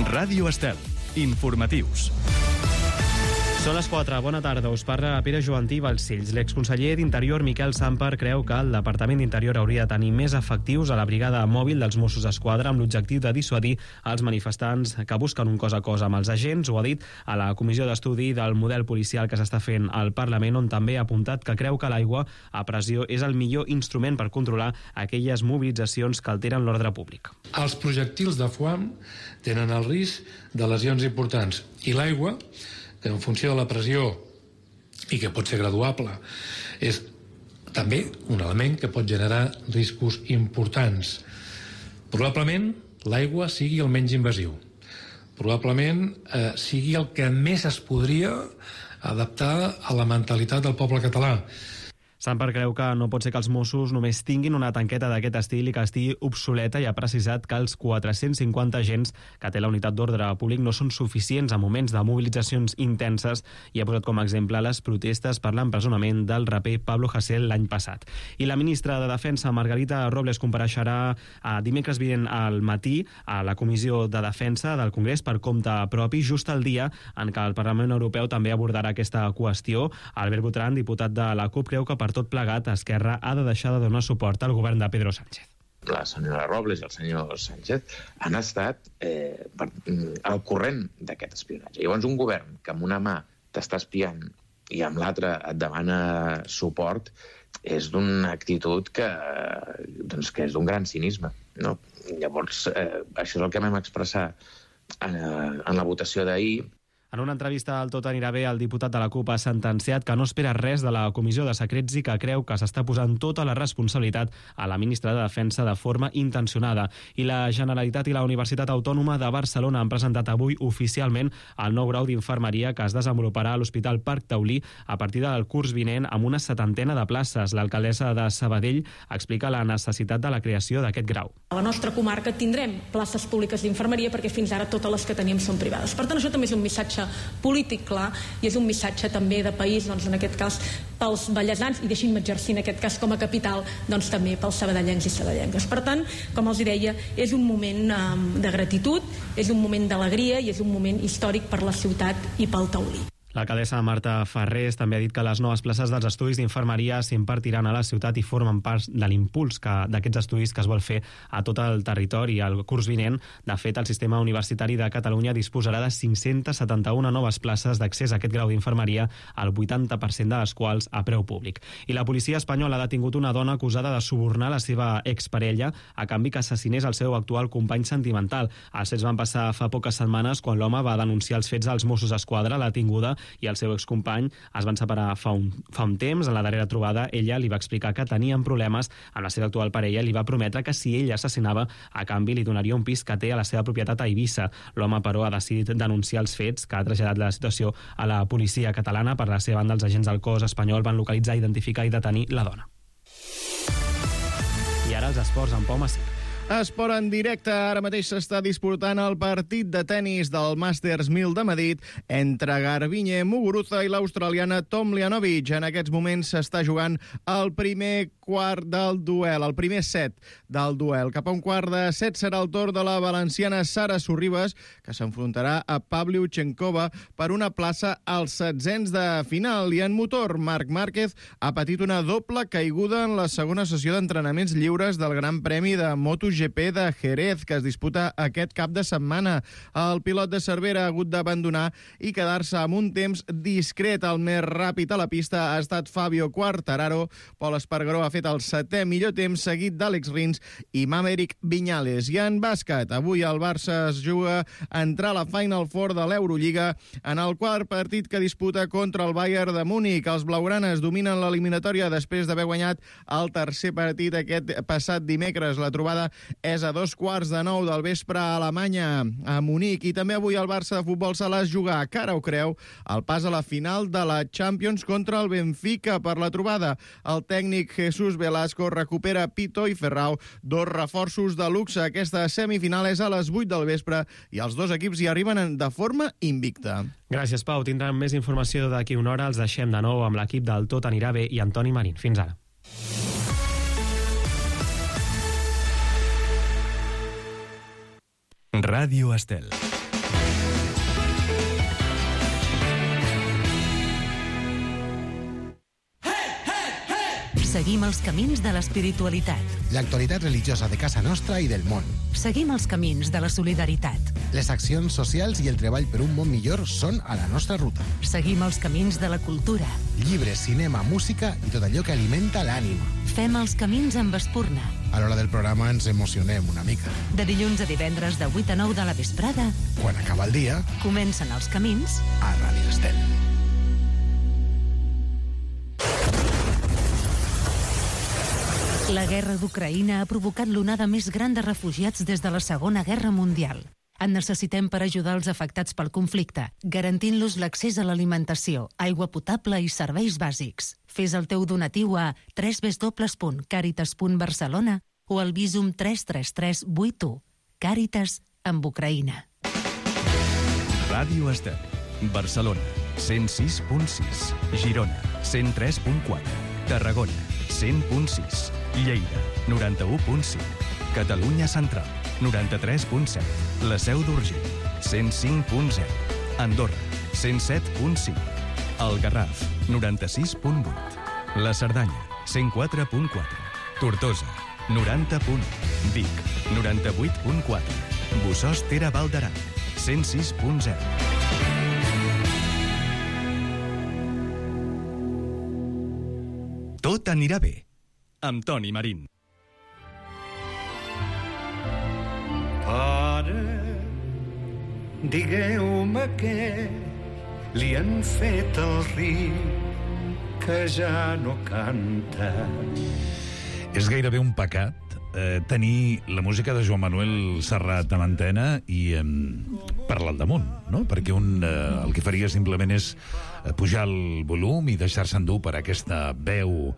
Ràdio Estel. Informatius. Són les 4. Bona tarda. Us parla Pere Joantí Balcells. L'exconseller d'Interior, Miquel Samper, creu que el Departament d'Interior hauria de tenir més efectius a la brigada mòbil dels Mossos d'Esquadra amb l'objectiu de dissuadir els manifestants que busquen un cos a cos amb els agents. Ho ha dit a la comissió d'estudi del model policial que s'està fent al Parlament, on també ha apuntat que creu que l'aigua a pressió és el millor instrument per controlar aquelles mobilitzacions que alteren l'ordre públic. Els projectils de foam tenen el risc de lesions importants i l'aigua, que en funció de la pressió i que pot ser graduable, és també un element que pot generar riscos importants. Probablement l'aigua sigui el menys invasiu. Probablement sigui el que més es podria adaptar a la mentalitat del poble català. Samper creu que no pot ser que els Mossos només tinguin una tanqueta d'aquest estil i que estigui obsoleta, i ha precisat que els 450 agents que té la unitat d'ordre públic no són suficients en moments de mobilitzacions intenses, i ha posat com a exemple les protestes per l'empresonament del raper Pablo Hasél l'any passat. I la ministra de Defensa, Margarita Robles, compareixerà dimecres vinent al matí a la Comissió de Defensa del Congrés per compte propi, just el dia en què el Parlament Europeu també abordarà aquesta qüestió. Albert Botran, diputat de la CUP, creu que per tot plegat Esquerra ha de deixar de donar suport al govern de Pedro Sánchez. La senyora Robles i el senyor Sánchez han estat al corrent d'aquest espionatge. Llavors, un govern que amb una mà t'està espiant i amb l'altra et demana suport és d'una actitud que és d'un gran cinisme, no? Llavors, això és el que vam expressar en la votació d'ahir. En una entrevista al Tot anirà bé, el diputat de la CUP ha sentenciat que no espera res de la Comissió de Secrets i que creu que s'està posant tota la responsabilitat a la ministra de Defensa de forma intencionada. I la Generalitat i la Universitat Autònoma de Barcelona han presentat avui oficialment el nou grau d'infermeria que es desenvoluparà a l'Hospital Parc Taulí a partir del curs vinent amb una 70 de places. L'alcaldessa de Sabadell explica la necessitat de la creació d'aquest grau. A la nostra comarca tindrem places públiques d'infermeria perquè fins ara totes les que teníem són privades. Per tant, això també és un missatge polític clar i és un missatge també de país, doncs en aquest cas pels vallesans, i deixin-me exercir en aquest cas com a capital, doncs també pels sabadellencs i sabadellenques. Per tant, com els deia, és un moment de gratitud, és un moment d'alegria i és un moment històric per la ciutat i pel Taulí. L'alcaldessa Marta Farrés també ha dit que les noves places dels estudis d'infermeria s'impartiran a la ciutat i formen part de l'impuls d'aquests estudis que es vol fer a tot el territori al curs vinent. De fet, el sistema universitari de Catalunya disposarà de 571 noves places d'accés a aquest grau d'infermeria, el 80% de les quals a preu públic. I la policia espanyola ha detingut una dona acusada de subornar la seva exparella a canvi que assassinés el seu actual company sentimental. Els fets van passar fa poques setmanes quan l'home va denunciar els fets als Mossos d'Esquadra. La tinguda i el seu excompany es van separar fa un temps. En la darrera trobada, ella li va explicar que tenien problemes amb la seva actual parella i li va prometre que si ell assassinava, a canvi li donaria un pis que té a la seva propietat a Eivissa. L'home, però, ha decidit denunciar els fets, que ha traslladat la situació a la policia catalana. Per la seva banda, els agents del cos espanyol van localitzar, identificar i detenir la dona. I ara els esports amb Pau Massip. Esport en directe. Ara mateix s'està disputant el partit de tennis del Masters 1000 de Madrid entre Garbiñe Muguruza i l'australiana Tomljanovic. En aquests moments s'està jugant el primer quart del duel, el primer set del duel. Cap a un quart de set serà el torn de la valenciana Sara Sorribes, que s'enfrontarà a Pavlyuchenkova per una plaça als setzents de final. I en motor, Marc Márquez ha patit una doble caiguda en la segona sessió d'entrenaments lliures del Gran Premi de MotoGP de Jerez, que es disputa aquest cap de setmana. El pilot de Cervera ha hagut d'abandonar i quedar-se amb un temps discret. El més ràpid a la pista ha estat Fabio Quartararo. Pol Espargaró ha fet el setè millor temps, seguit d'Àlex Rins i Maverick Viñales. I en bàsquet, avui el Barça es juga a entrar a la Final Four de l'Eurolliga en el quart partit que disputa contra el Bayern de Múnich. Els blaugranes dominen l'eliminatòria després d'haver guanyat el tercer partit aquest passat dimecres. La trobada és a 8:15 del vespre a Alemanya, a Munic. I també avui el Barça de futbol se les juga, cara o creu, el pas a la final de la Champions contra el Benfica. Per la trobada, el tècnic Jesús Velasco recupera Pito i Ferrao, dos reforços de luxe. Aquesta semifinal és a les 8 del vespre i els dos equips hi arriben de forma invicta. Gràcies, Pau. Tindran més informació d'aquí una hora. Els deixem de nou amb l'equip del Tot anirà bé i Antoni Marín. Fins ara. Ràdio Estel. Seguim els camins de l'espiritualitat. L'actualitat religiosa de casa nostra i del món. Seguim els camins de la solidaritat. Les accions socials i el treball per un món millor són a la nostra ruta. Seguim els camins de la cultura. Llibres, cinema, música i tot allò que alimenta l'ànima. Fem els camins amb Espurna. A l'hora del programa ens emocionem una mica. De dilluns a divendres de 8 a 9 de la vesprada. Quan acaba el dia, comencen els camins a Ràdio Estel. La guerra d'Ucraïna ha provocat l'onada més gran de refugiats des de la Segona Guerra Mundial. En necessitem per ajudar els afectats pel conflicte, garantint-los l'accés a l'alimentació, aigua potable i serveis bàsics. Fes el teu donatiu a www.caritas.barcelona o al Visum 33381. Càritas amb Ucraïna. Ràdio Estel, Barcelona, 106.6, Girona, 103.4, Tarragona, 100.6, Lleida, 91.5, Catalunya Central, 93.7, la Seu d'Urgell, 105.0, Andorra, 107.5, el Garraf, 96.8, la Cerdanya, 104.4, Tortosa, 90.1, Vic, 98.4, Bossòst Tere Val d'Aran, 106.0. Tot anirà bé, amb Toni Marín. Pare, digueu-me què li han fet al riu que ja no canta. És gairebé un pecat tenir la música de Joan Manuel Serrat a l'antena i parlar al damunt, no? Perquè el que faria simplement és pujar el volum i deixar-se endur per aquesta veu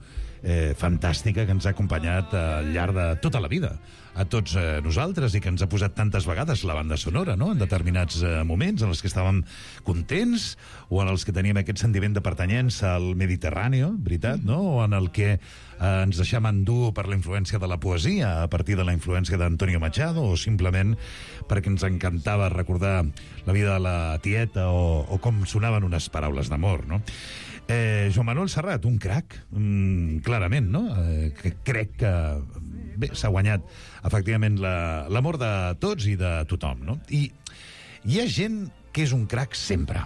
fantàstica que ens ha acompanyat al llarg de tota la vida a tots nosaltres i que ens ha posat tantes vegades la banda sonora, no? En determinats moments en els que estàvem contents o en els que teníem aquest sentiment de pertanyença al Mediterrani, veritat, no? O en el que ens deixem endur per la influència de la poesia a partir de la influència d'Antonio Machado o simplement perquè ens encantava recordar la vida de la tieta o com sonaven unes paraules d'amor, no? Joan Manuel Serrat, un crac, clarament, no? Que crec que s'ha guanyat efectivament l'amor de tots i de tothom, no? I hi ha gent que és un crac sempre.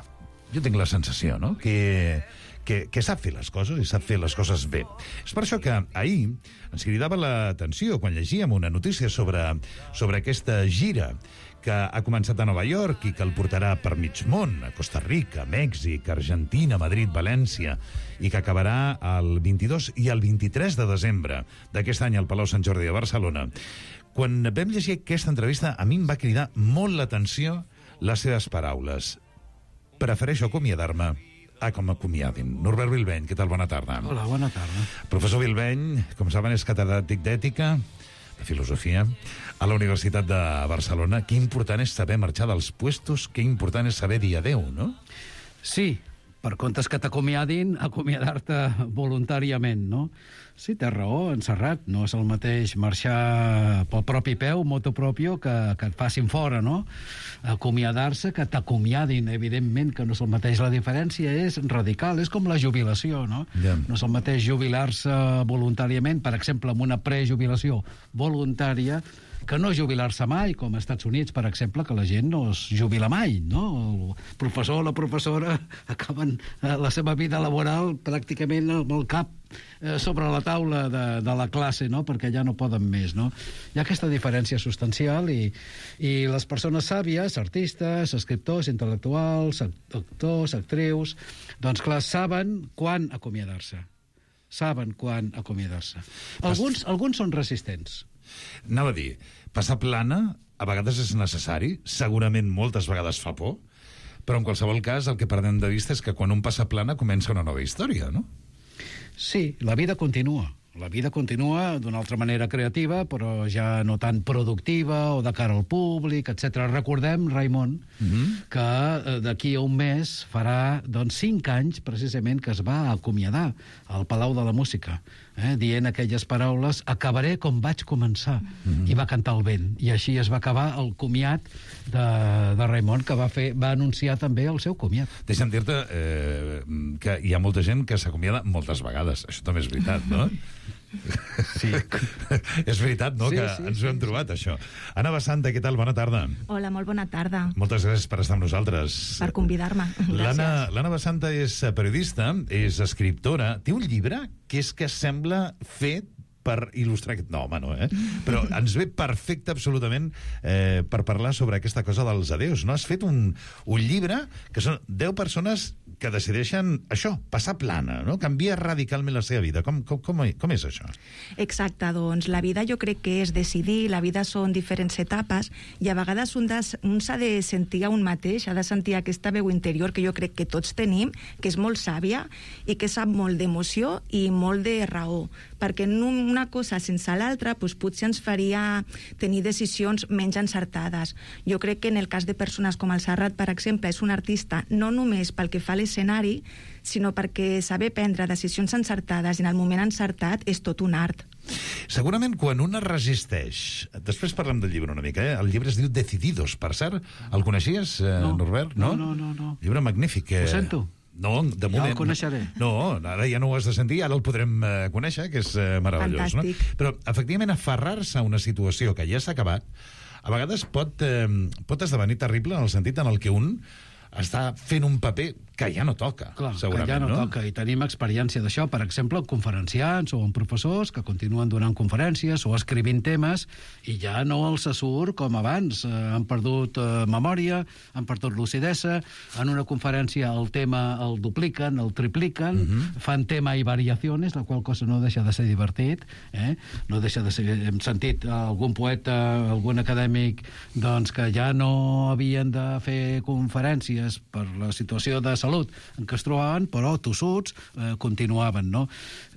Jo tinc la sensació, no? Que sap fer les coses i sap fer les coses bé. És per això que ahir ens cridava l'atenció quan llegíem una notícia sobre aquesta gira que ha començat a Nova York i que el portarà per mig món, a Costa Rica, Mèxic, Argentina, Madrid, València, i que acabarà el 22 i el 23 de desembre d'aquest any al Palau Sant Jordi de Barcelona. Quan vam llegir aquesta entrevista, a mi em va cridar molt l'atenció les seves paraules. Prefereixo acomiadar-me a com acomiadin. Norbert Bilbeny, què tal? Bona tarda. Hola, bona tarda. Professor Bilbeny, com saben, és catedràtic d'ètica, de filosofia, a la Universitat de Barcelona. Que important és saber marxar dels puestos, que important és saber dir adeu, no? Sí, per comptes que t'acomiadin, acomiadar-te voluntàriament, no? Sí, té raó, en Serrat. No és el mateix marxar pel propi peu, motu propio, que et facin fora, no? Acomiadar-se, que t'acomiadin, evidentment que no és el mateix. La diferència és radical, és com la jubilació, no? Yeah. No és el mateix jubilar-se voluntàriament, per exemple, amb una prejubilació voluntària, que no jubilar-se mai, com als Estats Units, per exemple, que la gent no es jubila mai, no? El professor o la professora acaben la seva vida laboral pràcticament amb el cap sobre la taula de la classe, no? Perquè ja no poden més, no? Hi ha aquesta diferència substancial i les persones sàvies, artistes, escriptors, intel·lectuals, actors, actrius, doncs clar, saben quan acomiadar-se. Saben quan acomiadar-se. Alguns són resistents. Anava a dir, passar plana a vegades és necessari, segurament moltes vegades fa por, però en qualsevol cas el que perdem de vista és que quan un passa plana comença una nova història, no? Sí, la vida continua. La vida continua d'una altra manera creativa, però ja no tan productiva o de cara al públic, etc. Recordem, Raimon, que d'aquí a un mes farà 5 anys, precisament, que es va acomiadar al Palau de la Música, dient aquelles paraules: acabaré com vaig començar. I va cantar el vent. I així es va acabar el comiat de Raimon, que va anunciar també el seu comiat. Deixa'm dir-te que hi ha molta gent que s'acomiada moltes vegades. Això també és veritat, no? Sí. És veritat, no?, Sí, que sí, ens ho hem trobat, això. Anna Basanta, què tal? Bona tarda. Hola, molt bona tarda. Moltes gràcies per estar amb nosaltres. Per convidar-me. L'Anna Basanta és periodista, és escriptora, té un llibre que és que sembla fet per il·lustrar aquest... No, home, no, Però ens ve perfecte, absolutament, per parlar sobre aquesta cosa dels adeus, no? Has fet un llibre que són 10 persones que decideixen això, passar plana, no? Canvia radicalment la seva vida. Com és això? Exacte, doncs la vida jo crec que és decidir, la vida són diferents etapes i a vegades un s'ha de sentir a un mateix, ha de sentir aquesta veu interior que jo crec que tots tenim, que és molt sàvia i que sap molt d'emoció i molt de raó, perquè una cosa sense l'altra doncs potser ens faria tenir decisions menys encertades. Jo crec que en el cas de persones com el Serrat, per exemple, és un artista no només pel que fa a l'escenari, sinó perquè saber prendre decisions encertades i en el moment encertat és tot un art. Segurament quan un es resisteix... Després parlem del llibre una mica, El llibre es diu Decididos, per cert. El coneixies, Norbert? No. Llibre magnífic. Ho sento. No, de moment... Ja el coneixeré. No, ara ja no ho has de sentir, ara el podrem conèixer, que és meravellós. Fantàstic. No? Però, efectivament, aferrar-se a una situació que ja s'ha acabat, a vegades pot esdevenir terrible en el sentit en el que un està fent un paper que ja no toca, Clar, segurament, que ja no toca, i tenim experiència d'això, per exemple, en conferenciants o en professors que continuen donant conferències o escrivint temes i ja no els surt com abans. Han perdut memòria, han perdut lucidesa, en una conferència el tema el dupliquen, el tripliquen, fan tema i variacions, la qual cosa no deixa de ser divertit, no deixa de ser... Hem sentit algun poeta, algun acadèmic, doncs que ja no havien de fer conferències per la situació de salut en què es trobaven, però tossuts continuaven, no?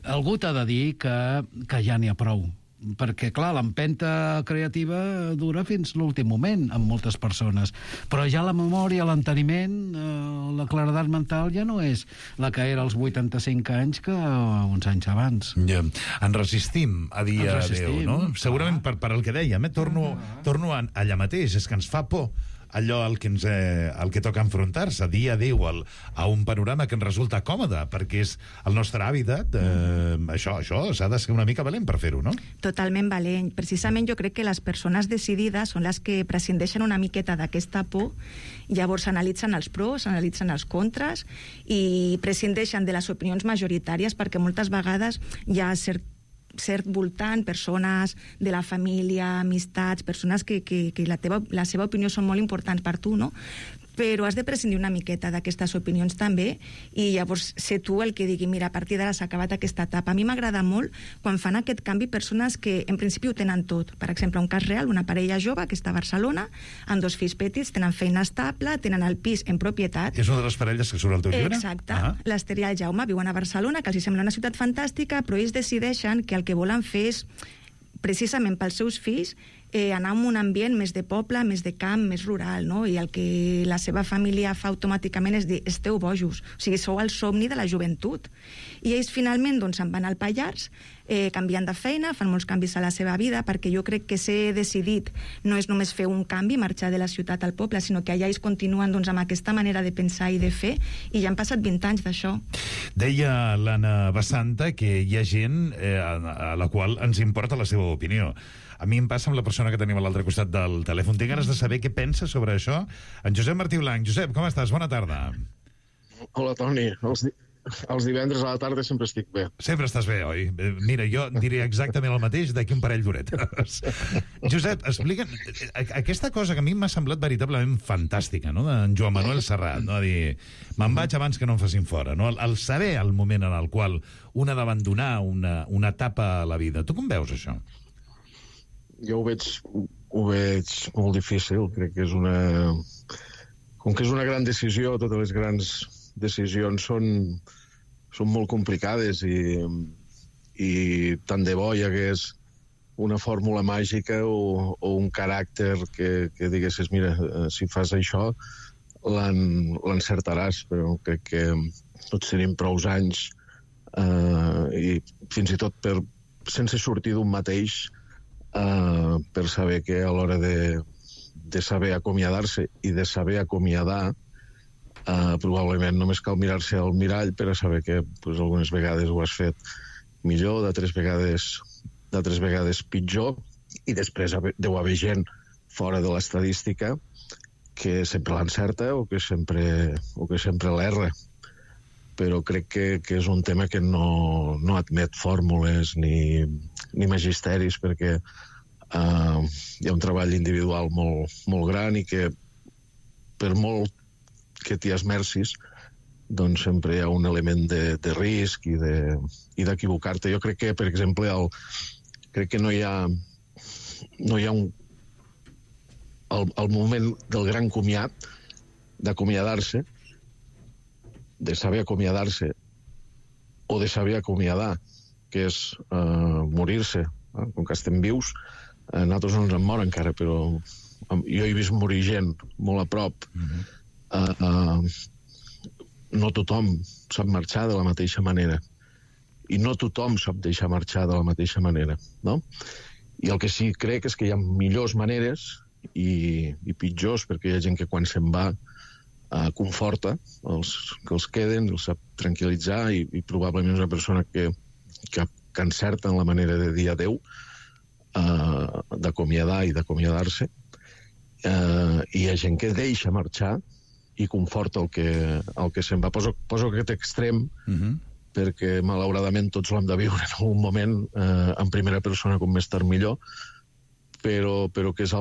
Algú t'ha de dir que ja n'hi ha prou, perquè, clar, l'empenta creativa dura fins l'últim moment amb moltes persones, però ja la memòria, l'enteniment, la claredat mental ja no és la que era als 85 anys que uns anys abans. Ja. En resistim a dir adéu, no? Segurament per el que dèiem, torno allà mateix, és que ens fa por allò al que toca enfrontar-se, dir adéu a un panorama que ens resulta còmode, perquè és el nostre hàbitat. Això s'ha de ser una mica valent per fer-ho, no? Totalment valent. Precisament jo crec que les persones decidides són les que prescindeixen una miqueta d'aquesta por, llavors analitzen els pros, analitzen els contres i prescindeixen de les opinions majoritàries, perquè moltes vegades hi ha cert voltant, persones de la família, amistats, persones que la seva opinió són molt importants per tu, no? Però has de prescindir una miqueta d'aquestes opinions també i llavors ser tu el que digui, mira, a partir d'ara s'ha acabat aquesta etapa. A mi m'agrada molt quan fan aquest canvi persones que en principi ho tenen tot. Per exemple, un cas real, una parella jove que està a Barcelona, amb 2 fills petits, tenen feina estable, tenen el pis en propietat. És una de les parelles que surt al teu llibre? Exacte. L'Ester i el Jaume viuen a Barcelona, que els sembla una ciutat fantàstica, però ells decideixen que el que volen fer és, precisament pels seus fills, anar en un ambient més de poble, més de camp, més rural, no? I el que la seva família fa automàticament és dir, esteu bojos, o sigui, sou el somni de la joventut. I ells finalment doncs se'n van al Pallars, canviant de feina, fan molts canvis a la seva vida, perquè jo crec que ser decidit no és només fer un canvi, marxar de la ciutat al poble, sinó que allà ells continuen doncs, amb aquesta manera de pensar i de fer, i ja han passat 20 anys d'això. Deia l'Anna Basanta que hi ha gent a la qual ens importa la seva opinió. A mi em passa amb la persona que tenim a l'altre costat del telèfon. Tinc ganes de saber què pensa sobre això. En Josep Martí Blanc. Josep, com estàs? Bona tarda. Hola, Toni. Els divendres a la tarda sempre estic bé. Sempre estàs bé, oi? Mira, jo diré exactament el mateix d'aquí un parell d'horetes. Josep, explica'm aquesta cosa que a mi m'ha semblat veritablement fantàstica, no?, d'en Joan Manuel Serrat, no?, a dir, me'n vaig abans que no em facin fora, no?, el saber el moment en el qual un ha d'abandonar una etapa a la vida. Tu com veus això? Jo ho veig molt difícil. Crec que és com que és una gran decisió, totes les grans decisions són molt complicades i tant de bo hi hagués una fórmula màgica o un caràcter que diguessis, mira, si fas això l'encertaràs, però crec que tots tenim prou anys i fins i tot sense sortir d'un mateix per saber que a l'hora de saber acomiadar-se i de saber acomiadar probablement només cal mirar-se al mirall per a saber que algunes vegades ho has fet millor, d'altres vegades pitjor, i després deu haver gent fora de l'estadística que sempre l'encerta o que sempre l'erra. Però crec que és un tema que no admet fórmules ni magisteris, perquè hi ha un treball individual molt gran i que per molt que t'hi esmercis, doncs sempre hi ha un element de risc i d'equivocar-te. Jo crec que, per exemple, crec que no hi ha el moment del gran comiat, d'acomiadar-se, de saber acomiadar-se o de saber acomiadar, que és morir-se. Com que estem vius, nosaltres no ens en mor encara, però jo he vist morir gent molt a prop. No tothom sap marxar de la mateixa manera i no tothom sap deixar marxar de la mateixa manera, no? I el que sí crec és que hi ha millors maneres i pitjors, perquè hi ha gent que quan se'n va conforta que els queden, els sap tranquil·litzar i probablement és una persona que encerta en la manera de dir adeu, d'acomiadar i d'acomiadar-se, i hi ha gent que deixa marxar i conforta el que se'n va. Poso aquest extrem perquè malauradament tots l'hem de viure en algun moment en primera persona, com més tard millor, però que és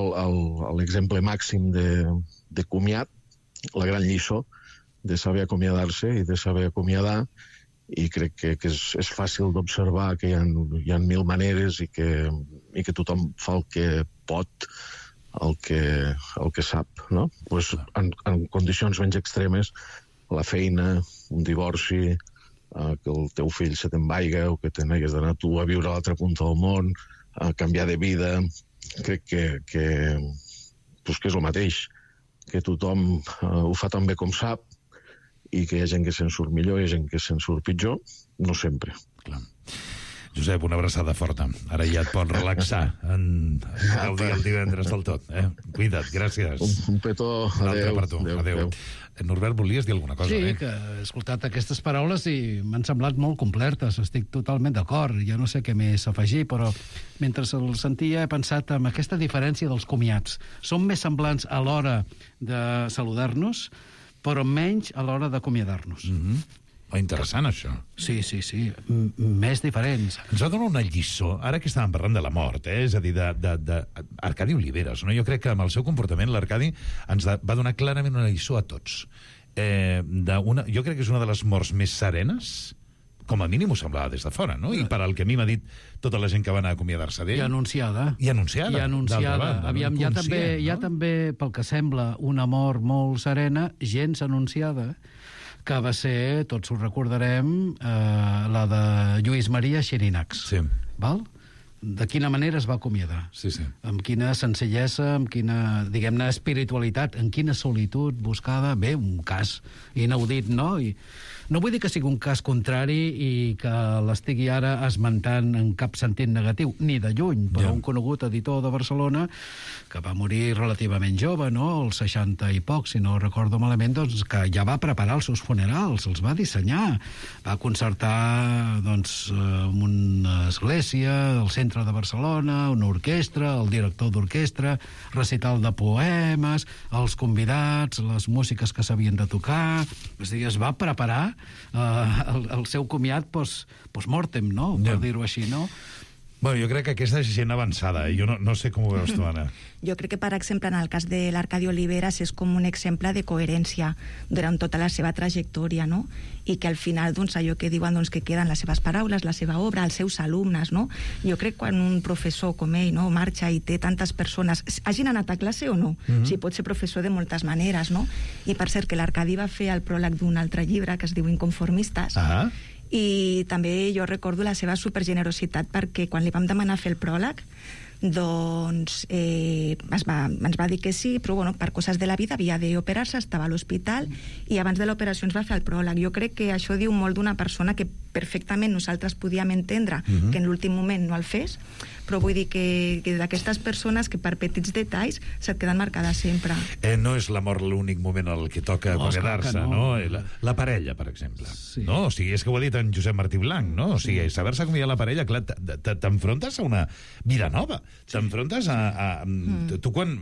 l'exemple màxim de comiat, la gran lliçó de saber acomiadar-se i de saber acomiadar, i crec que és fàcil d'observar que hi ha mil maneres i que tothom fa el que pot, el que sap, no? Pues en condicions menys extremes, la feina, un divorci, que el teu fill se te'n vaiga o que te n'hagués d'anar tu a viure a l'altra punta del món, a canviar de vida, crec que és el mateix, que tothom ho fa tan bé com sap i que hi ha gent que se'n surt millor i hi ha gent que se'n surt pitjor, no sempre. Clar. Josep, una abraçada forta. Ara ja et pots relaxar en gaudir el divendres del tot. Cuida't, gràcies. Un petó, adéu. Norbert, volies dir alguna cosa? Sí, que he escoltat aquestes paraules i m'han semblat molt complertes. Estic totalment d'acord. Jo no sé què més afegir, però mentre el sentia he pensat en aquesta diferència dels comiats. Som més semblants a l'hora de saludar-nos, però menys a l'hora d'acomiadar-nos. Interessant, això. Sí. Més diferents. Ens va donar una lliçó, ara que estàvem parlant de la mort, és a dir, d'Arcadi Oliveres, no? Jo crec que amb el seu comportament l'Arcadi ens va donar clarament una lliçó a tots. Jo crec que és una de les morts més serenes, com a mínim ho semblava des de fora, no? I per al que a mi m'ha dit tota la gent que va anar a acomiadar-se d'ell. I anunciada. Aviam, hi ha també, pel que sembla, una mort molt serena, gens anunciada, que va ser, tots ho recordarem, la de Lluís Maria Xirinacs. Sí. Val? De quina manera es va acomiadar? Sí. Amb quina senzillesa, amb quina, diguem-ne, espiritualitat, en quina solitud buscada. Bé, un cas inaudit, no? I no vull dir que sigui un cas contrari i que l'estigui ara esmentant en cap sentit negatiu, ni de lluny, però un conegut editor de Barcelona que va morir relativament jove, no?, als 60 i poc, si no recordo malament, doncs que ja va preparar els seus funerals, els va dissenyar, va concertar, doncs, una església, el centre de Barcelona, una orquestra, el director d'orquestra, recital de poemes, els convidats, les músiques que s'havien de tocar, és a dir, es va preparar el seu comiat post-mortem, no?, per dir-ho així, no? Bueno, jo crec que aquesta és gent avançada, jo no sé com ho veus tu, Anna. Jo crec que, per exemple, en el cas de l'Arcadi Oliveres és com un exemple de coherència durant tota la seva trajectòria, no? I que al final, doncs, allò que diuen, doncs, que queden les seves paraules, la seva obra, els seus alumnes, no? Jo crec que quan un professor com ell, no?, marxa i té tantes persones, hagin anat a classe o no? O sigui, pot ser professor de moltes maneres, no? I per cert, que l'Arcadi va fer el pròleg d'un altre llibre que es diu Inconformistes, i també jo recordo la seva supergenerositat, perquè quan li vam demanar fer el pròleg, doncs ens va dir que sí, però bueno, per coses de la vida havia d'operar-se, estava a l'hospital i abans de l'operació ens va fer el pròleg. Jo crec que això diu molt d'una persona que perfectament nosaltres podíem entendre que en l'últim moment no el fes, però vull dir que d'aquestes persones que per petits detalls se't queden marcades sempre. No és l'amor l'únic moment en el que toca acomiadar-se, no? La parella, per exemple. No? O sigui, és que ho ha dit en Josep Martí Blanc, no? O sigui, saber-se acomiadar la parella, clar, t'enfrontes a una vida nova. T'enfrontes a... Tu quan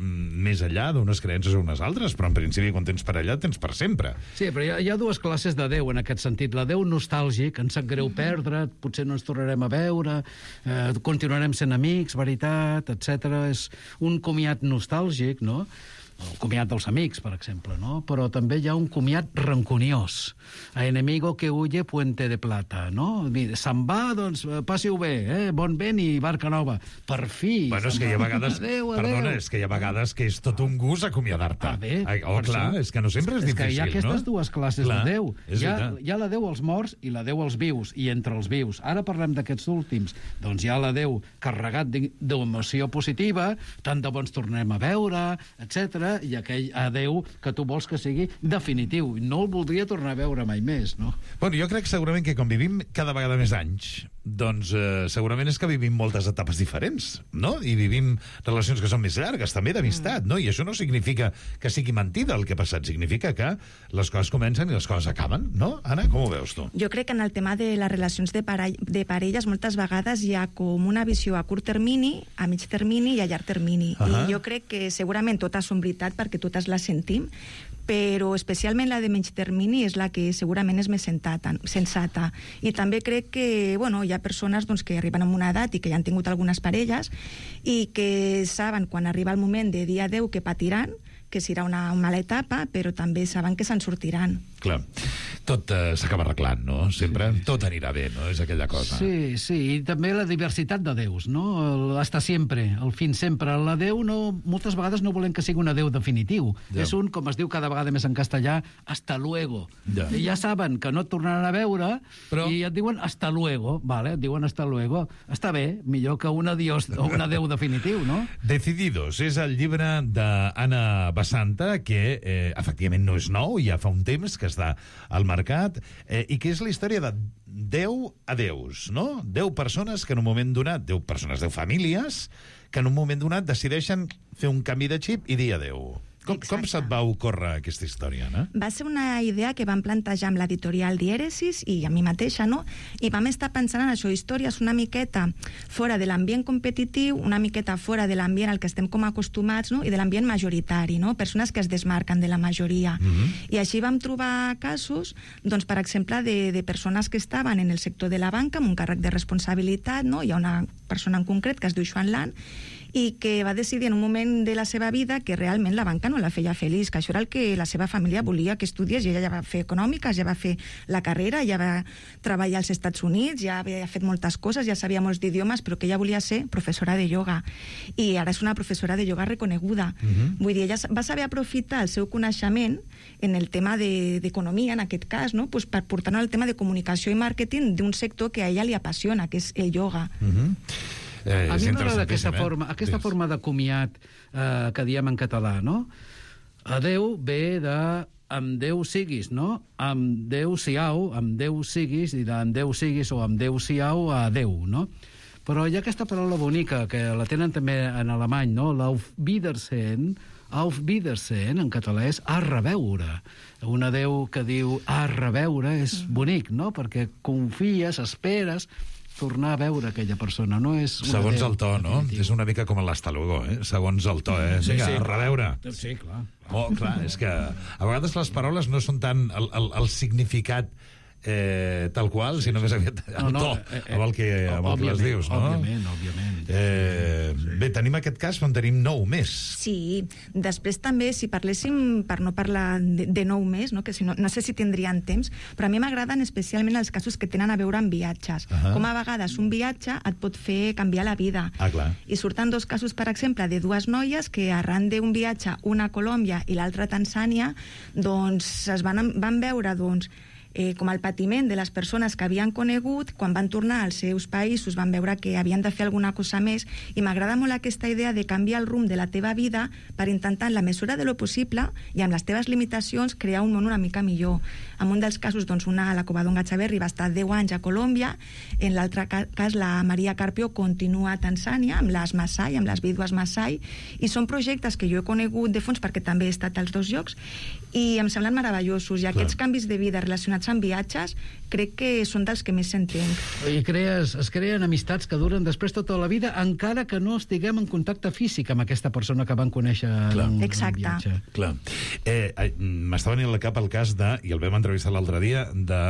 més enllà d'unes creences o unes altres, però en principi quan tens parella tens per sempre. Sí, però hi ha dues classes de Déu en aquest sentit. La Déu nostàlgic, ens sap greu perdre, potser no ens tornarem a veure, continuarem sent amics, veritat, etc. És un comiat nostàlgic, no? El comiat dels amics, per exemple, no? Però també hi ha un comiat rancuniós. A enemigo que huye, puente de plata, no? Se'n va, doncs passi-ho bé, bon vent i barca nova. Per fi! Bueno, és que hi ha vegades... Perdona, és que hi ha vegades que és tot un gust acomiadar-te. Clar, és que no sempre és difícil, no? És que hi ha aquestes dues classes de Déu. Hi ha la Déu als morts i la Déu als vius, i entre els vius. Ara parlem d'aquests últims. Doncs hi ha la Déu carregat d'emoció positiva, tant de bons tornem a veure, etc. I aquell adeu que tu vols que sigui definitiu. No el voldria tornar a veure mai més, no? Bueno, jo crec segurament que com vivim cada vegada més anys, doncs segurament és que vivim moltes etapes diferents, no? I vivim relacions que són més llargues, també d'amistat, no? I això no significa que sigui mentida el que ha passat, significa que les coses comencen i les coses acaben, no? Anna, com ho veus tu? Jo crec que en el tema de les relacions de parelles moltes vegades hi ha com una visió a curt termini, a mig termini i a llarg termini. I jo crec que segurament totes són veritat perquè totes les sentim, però especialment la de menys termini és la que segurament és més sensata. I també crec que hi ha persones que arriben a una edat i que ja han tingut algunes parelles i que saben quan arriba el moment de dir adeu que patiran, que serà una mala etapa, però també saben que se'n sortiran. Clar, tot s'acaba arreglant, no? Sempre tot anirà bé, no? És aquella cosa. Sí, i també la diversitat de déus, no? Hasta sempre, el fin sempre. La Déu moltes vegades no volem que sigui un adeu definitiu. És un, com es diu cada vegada més en castellà, hasta luego. I ja saben que no et tornaran a veure i et diuen hasta luego, vale? Et diuen hasta luego. Està bé, millor que un adiós o un adeu definitiu, no? Decididos és el llibre d'Anna Basanta, que efectivament no és nou, ja fa un temps que està al mercat, i que és la història de 10 adeus, no? 10 persones que en un moment donat, 10 famílies, que en un moment donat decideixen fer un canvi de xip i dir adeu. Com se't va ocórrer aquesta història, no? Va ser una idea que vam plantejar amb l'editorial Dièresis i a mi mateixa, no? I vam estar pensant en això, històries una miqueta fora de l'ambient competitiu, una miqueta fora de l'ambient al que estem com acostumats, no? I de l'ambient majoritari, no? Persones que es desmarquen de la majoria. I així vam trobar casos, doncs, per exemple, de persones que estaven en el sector de la banca amb un càrrec de responsabilitat, no? Hi ha una persona en concret que es diu Joan Lan, i que va decidir en un moment de la seva vida que realment la banca no la feia feliç, que això era el que la seva família volia que estudiés, i ella ja va fer econòmiques, ja va fer la carrera, ja va treballar als Estats Units, ja havia fet moltes coses, ja sabia molts d'idiomes, però que ella volia ser professora de ioga, i ara és una professora de ioga reconeguda. Vull dir, ella va saber aprofitar el seu coneixement en el tema d'economia, en aquest cas, no? Pues per portar el tema de comunicació i màrqueting d'un sector que a ella li apassiona, que és el ioga. A mi m'agrada aquesta forma de comiat que diem en català, no? Adeu ve de amb Déu siguis, no? Amb Déu siau, amb Déu siguis, i d'en Déu siguis o amb Déu siau a Déu, no? Però hi ha aquesta paraula bonica, que la tenen també en alemany, no? Auf Wiedersehen, en català és a reveure. Un adeu que diu a reveure és bonic, no? Perquè confies, esperes tornar a veure aquella persona, no és... Segons el to, no? És una mica com l'hasta luego, segons el to, Vinga, a reveure. Sí, clar. Clar, és que a vegades les paraules no són tant el significat tal qual, sinó més aviat el to amb el que les dius, no? Òbviament. Bé, tenim aquest cas on tenim 9 més. Sí, després també, si parléssim, per no parlar de 9 més, no? Que si no sé si tindrien temps, però a mi m'agraden especialment els casos que tenen a veure amb viatges. Com a vegades un viatge et pot fer canviar la vida. Clar. I surten 2 casos, per exemple, de 2 noies que arran d'un viatge, una a Colòmbia i l'altra a Tanzània, doncs es van veure, doncs, com el patiment de les persones que havien conegut, quan van tornar als seus països van veure que havien de fer alguna cosa més, i m'agrada molt aquesta idea de canviar el rumb de la teva vida per intentar, en la mesura de lo possible i amb les teves limitacions, crear un món una mica millor. En un dels casos, doncs, la Covadonga Chaverri va estar 10 anys a Colòmbia, en l'altre cas la Maria Carpio continua a Tanzània amb les Masai, amb les vídues Masai, i són projectes que jo he conegut de fons perquè també he estat als 2 llocs i em semblen meravellosos, i aquests canvis de vida relacionats amb viatges crec que són dels que més s'entenc. I es creen amistats que duren després tota la vida, encara que no estiguem en contacte físic amb aquesta persona que van conèixer en viatge. Clar. M'estava venint al cap el cas de, i el vam entrevistar l'altre dia, de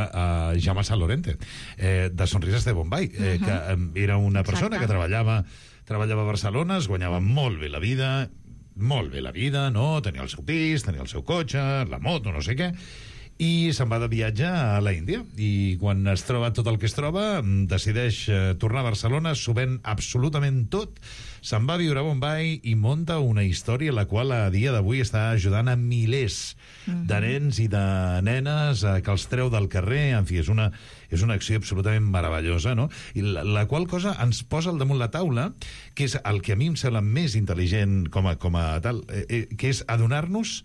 Jaume Sant Lorente, de Sonrises de Bombay, que era una persona que treballava a Barcelona, es guanyava molt bé la vida, no? Tenia el seu pis, tenia el seu cotxe, la moto, no sé què, i se'n va de viatge a la Índia, i quan es troba tot el que es troba decideix tornar a Barcelona, s'ho ven absolutament tot, se'n va a viure a Bombay i munta una història la qual a dia d'avui està ajudant a milers de nens i de nenes que els treu del carrer. En fi, és una acció absolutament meravellosa, no? I la qual cosa ens posa al damunt la taula, que és el que a mi em sembla més intel·ligent com a tal, que és adonar-nos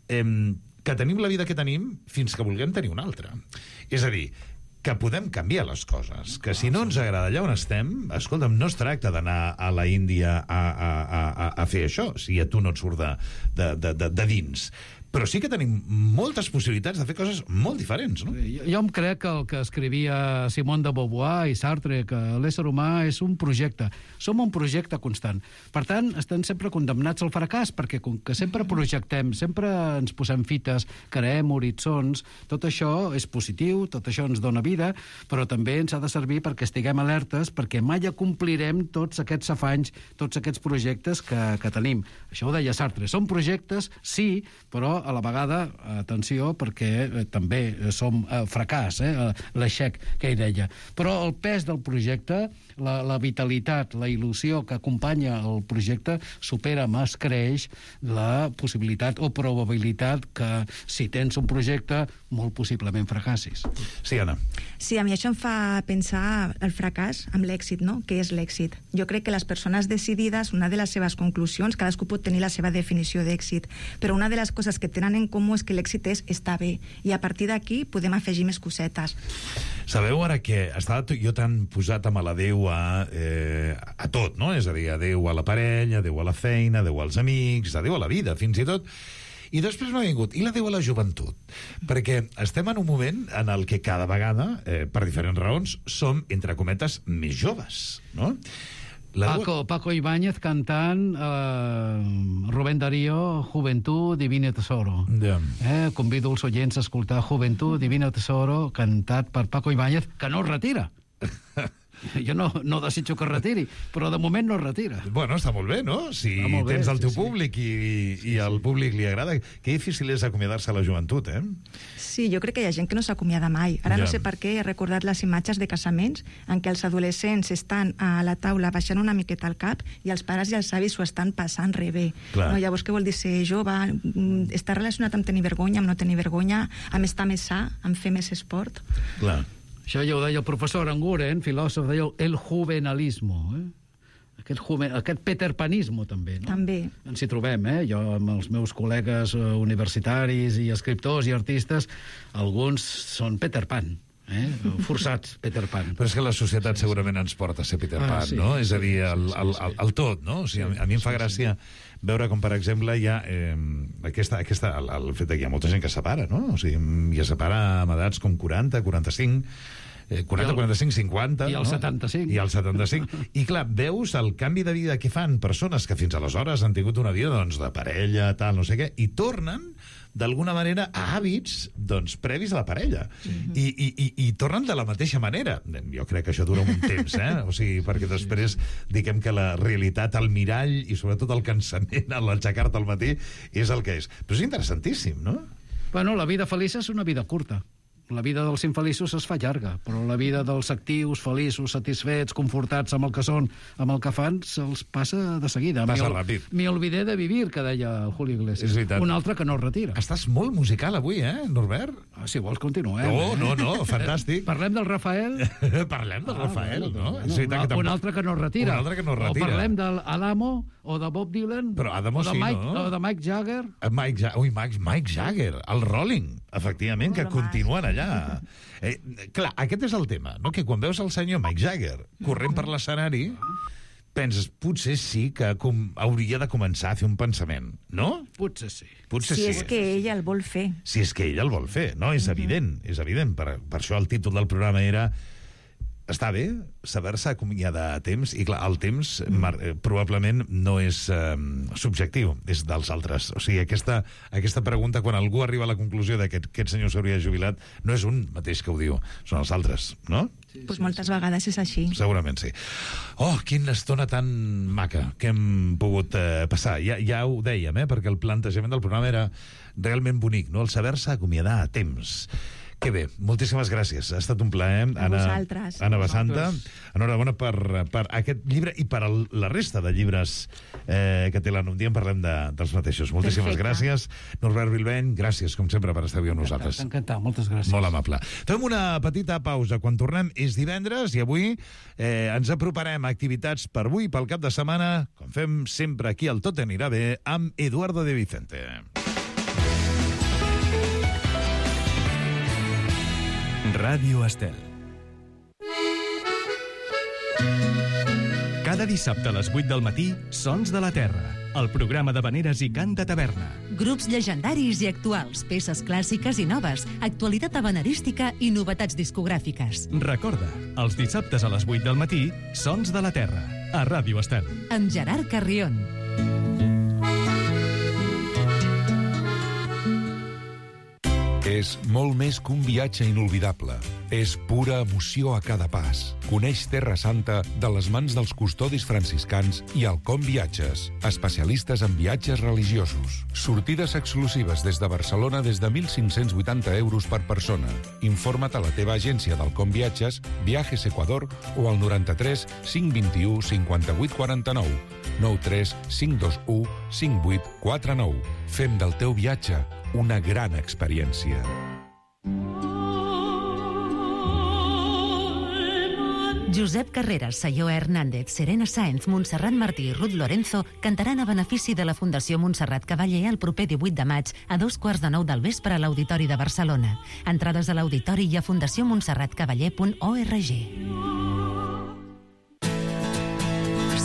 que tenim la vida que tenim fins que vulguem tenir una altra. És a dir, que podem canviar les coses, que si no ens agrada allà on estem, escolta'm, no es tracta d'anar a la Índia a fer això, si a tu no et surt de dins. Però sí que tenim moltes possibilitats de fer coses molt diferents, no? Jo em crec que el que escrivia Simone de Beauvoir i Sartre, que l'ésser humà és un projecte. Som un projecte constant. Per tant, estem sempre condemnats al fracàs, perquè com que sempre projectem, sempre ens posem fites, creem horitzons, tot això és positiu, tot això ens dona vida, però també ens ha de servir perquè estiguem alertes, perquè mai acomplirem tots aquests afanys, tots aquests projectes que tenim. Això ho deia Sartre. Són projectes, sí, però a la vegada, atenció, perquè també som fracàs, l'aixec que ell deia. Però el pes del projecte, la vitalitat, la il·lusió que acompanya el projecte supera, més creix la possibilitat o probabilitat que si tens un projecte molt possiblement fracassis. Sí, Anna. Sí, a mi això em fa pensar el fracàs amb l'èxit, no? Què és l'èxit? Jo crec que les persones decidides, una de les seves conclusions, cadascú pot tenir la seva definició d'èxit, però una de les coses que tenen en comú és que l'èxit és estar bé, i a partir d'aquí podem afegir més cosetes. Sabeu ara que estava jo tan posat amb l'adéu a tot, no? És a dir, adéu a la parella, adéu a la feina, adéu als amics, adéu a la vida, fins i tot. I després m'ha vingut, i l'adéu a la joventut? Perquè estem en un moment en el que cada vegada, per diferents raons, som, entre cometes, més joves, no? Paco Ibáñez cantant Rubén Darío, Juventud, Divino Tesoro. Convido els oients a escoltar Juventud, Divino Tesoro, cantat per Paco Ibáñez, que no es retira. Jo no desitjo que es retiri, però de moment no es retira. Bueno, està molt bé, no? Si tens el teu públic i al públic li agrada. Que difícil és acomiadar-se a la joventut, eh? Sí, jo crec que hi ha gent que no s'acomiada mai. Ara no sé per què he recordat les imatges de casaments en què els adolescents estan a la taula baixant una miqueta el cap i els pares i els avis s'ho estan passant re bé. No, llavors, què vol dir ser jove? Està relacionat amb tenir vergonya, amb no tenir vergonya, amb estar més sa, amb fer més esport? Clar. Això ja ho deia el professor Aranguren, filòsof, deia el juvenalismo, aquest peterpanismo, també, no? També. Ens hi trobem, jo amb els meus col·legues universitaris i escriptors i artistes, alguns són Peter Pan, forçats Peter Pan. Però és que la societat segurament ens porta a ser Peter Pan, no? És a dir, el tot, no? O sigui, a mi em fa gràcia veure com, per exemple, hi ha el fet que hi ha molta gent que es separa, no? O sigui, i es separa amb edats com 40, 45... 40, 45, 50... I el 75. I el 75. I clar, veus el canvi de vida que fan persones que fins aleshores han tingut una vida, doncs, de parella, tal, no sé què, i tornen d'alguna manera a hàbits, doncs, previs a la parella. I tornen de la mateixa manera. Jo crec que això dura un temps, O sigui, perquè després diguem que la realitat, el mirall i sobretot el cansament a l'aixecar-te al matí és el que és. Però és interessantíssim, no? Bueno, la vida feliç és una vida curta. La vida dels infeliços es fa llarga, però la vida dels actius, feliços, satisfets, confortats amb el que són, amb el que fan, se'ls passa de seguida. Passa ràpid. Me olvidé de vivir, que deia el Julio Iglesias. És veritat. Un altre que no es retira. Estàs molt musical avui, Norbert? Si vols, continuem. No, fantàstic. Parlem del Rafael? Parlem del Rafael, no? Un altre que no es retira. Un altre que no es retira. O parlem d'Adamo, o de Bob Dylan, però Adamo sí, no? O de Mike Jagger. Mike Jagger, el Rolling, efectivament, que continuen allà. Clar, aquest és el tema, no? Que quan veus el senyor Mike Jagger corrent per l'escenari, penses, potser sí que hauria de començar a fer un pensament, no? Potser sí. Si és que ella el vol fer. Si és que ella el vol fer, no? És evident, és evident. Per això el títol del programa era està bé saber-se acomiadar a temps, i clar, el temps probablement no és subjectiu, és dels altres. O sigui, aquesta pregunta, quan algú arriba a la conclusió que aquest senyor s'hauria jubilat, no és un mateix que ho diu, són els altres, no? Pues moltes vegades és així. Segurament sí. Oh, quina estona tan maca que hem pogut passar. Ja ho dèiem, perquè el plantejament del programa era realment bonic, no? El saber-se acomiadar a temps. Que bé, moltíssimes gràcies. Ha estat un plaer. A vosaltres. Anna Basanta, enhorabona per aquest llibre i per la resta de llibres que té l'Anna. Un dia en parlem dels mateixos. Moltíssimes gràcies. Norbert Bilbeny, gràcies, com sempre, per estar avui amb nosaltres. Encantat, moltes gràcies. Molt amable. Fem una petita pausa. Quan tornem és divendres i avui ens aproparem a activitats per avui, pel cap de setmana, com fem sempre aquí al Tot anirà bé, amb Eduardo de Vicente. Ràdio Estel. Cada dissabte a les 8 del matí, Sons de la Terra, el programa d'havaneres i cant de taverna. Grups llegendaris i actuals, peces clàssiques i noves, actualitat havanerística i novetats discogràfiques. Recorda, els dissabtes a les 8 del matí, Sons de la Terra, a Ràdio Estel. Amb Gerard Carrion. És molt més que un viatge inolvidable. És pura emoció a cada pas. Coneix Terra Santa de les mans dels custodis franciscans i Alcom Viatges, especialistes en viatges religiosos. Sortides exclusives des de Barcelona des de 1.580 euros per persona. Informa't a la teva agència d'Alcom Viatges, Viajes Ecuador o al 93 521 58 49, 93 521 58 49. Fem del teu viatge una gran experiència. Josep Carreras, Sayó Hernández, Serena Sáenz, Montserrat Martí i Ruth Lorenzo cantaran a benefici de la Fundació Montserrat Cavaller el proper 18 de maig a 2:15 del vespre a l'Auditori de Barcelona. Entrades a l'auditori i a fundacionmontserratcavaller.org.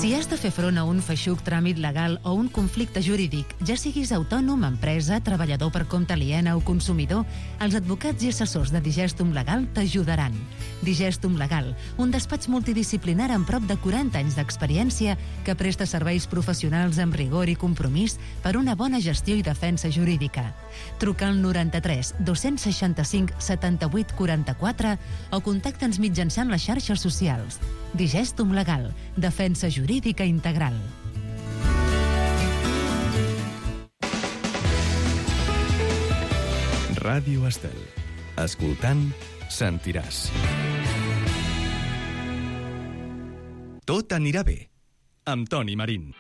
Si has de fer front a un feixuc tràmit legal o un conflicte jurídic, ja siguis autònom, empresa, treballador per compte aliena o consumidor, els advocats i assessors de Digestum Legal t'ajudaran. Digestum Legal, un despatx multidisciplinar amb prop de 40 anys d'experiència que presta serveis professionals amb rigor i compromís per una bona gestió i defensa jurídica. Truca al 93 265 78 44 o contacta'ns mitjançant les xarxes socials. Digestum Legal, defensa jurídica integral. Ràdio Estel. Escoltant, sentiràs. Tot anirà bé, amb Toni Marín.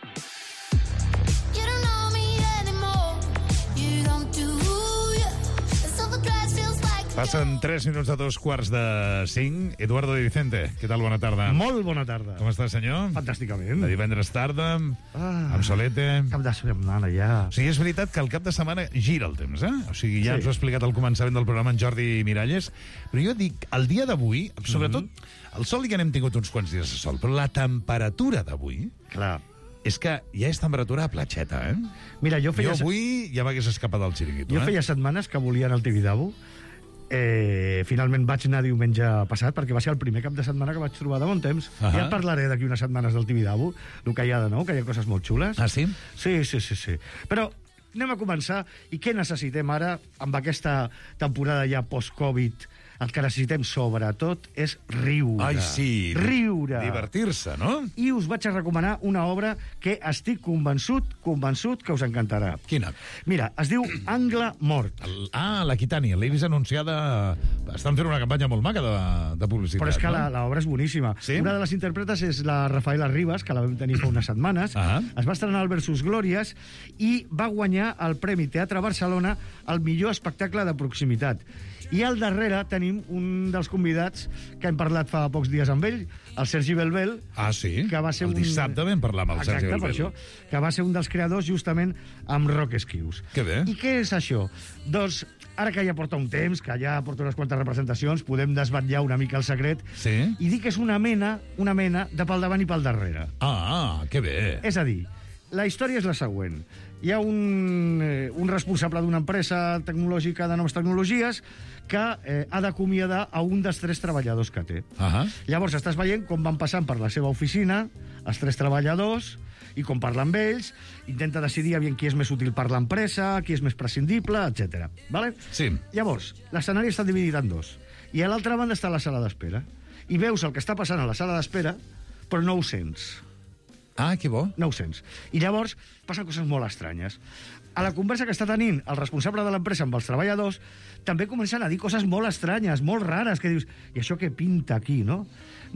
Passen 3 minuts de 2:45. Eduardo de Vicente, què tal? Bona tarda. Molt bona tarda. Com està, senyor? Fantàsticament. De divendres tarda, amb solete. Cap de setmana, ja. O sigui, és veritat que el cap de setmana gira el temps, O sigui, ja ens ho ha explicat al començament del programa en Jordi Miralles, però jo dic, el dia d'avui, sobretot, el sol ja n'hem tingut uns quants dies de sol, però la temperatura d'avui... Clar. És que ja és temperatura a platxeta, Mira, jo avui ja m'hagués escapat del xiringuito, Jo feia setmanes que volia anar al Tibidabo. Finalment vaig anar diumenge passat perquè va ser el primer cap de setmana que vaig trobar de bon temps. Ja et parlaré d'aquí unes setmanes del Tibidabo, el que hi ha de nou, que hi ha coses molt xules. Ah, sí? Sí. Però anem a començar. I què necessitem ara, amb aquesta temporada ja post-Covid, el que necessitem, sobretot, és riure. Ai, sí. Riure. Divertir-se, no? I us vaig a recomanar una obra que estic convençut que us encantarà. Quina? Mira, es diu Angle Mort. L'Aquitània. L'he vist anunciada... Estan fent una campanya molt maca de publicitat. Però és que no? l'obra és boníssima. Sí? Una de les intèrpretes és la Rafaela Rivas, que la vam tenir fa unes setmanes. Es va estrenar al Versus Glòries i va guanyar el Premi Teatre Barcelona al millor espectacle de proximitat. I al darrere tenim un dels convidats que hem parlat fa pocs dies amb ell, el Sergi Belbel. Sí? Que va ser el dissabte vam parlar amb el Sergi Belbel. Exacte, per això. Que va ser un dels creadors justament amb Rock Esquius. Que bé. I què és això? Doncs, ara que ja porta un temps, que ja porta unes quantes representacions, podem desvetllar una mica el secret i dir que és una mena de pel davant i pel darrere. Que bé. És a dir, la història és la següent. Hi ha un responsable d'una empresa tecnològica de noves tecnologies que ha d'acomiadar a un dels 3 treballadors que té. Llavors estàs veient com van passant per la seva oficina els 3 treballadors i com parla amb ells, intenta decidir aviam qui és més útil per l'empresa, qui és més prescindible, etc. Vale? Sí. Llavors, l'escenari està dividit en 2. I a l'altra banda està la sala d'espera. I veus el que està passant a la sala d'espera, però no ho sents. Que bo. No ho sents. I llavors passen coses molt estranyes. A la conversa que està tenint el responsable de l'empresa amb els treballadors, també comencen a dir coses molt estranyes, molt rares, que dius, i això què pinta aquí, no?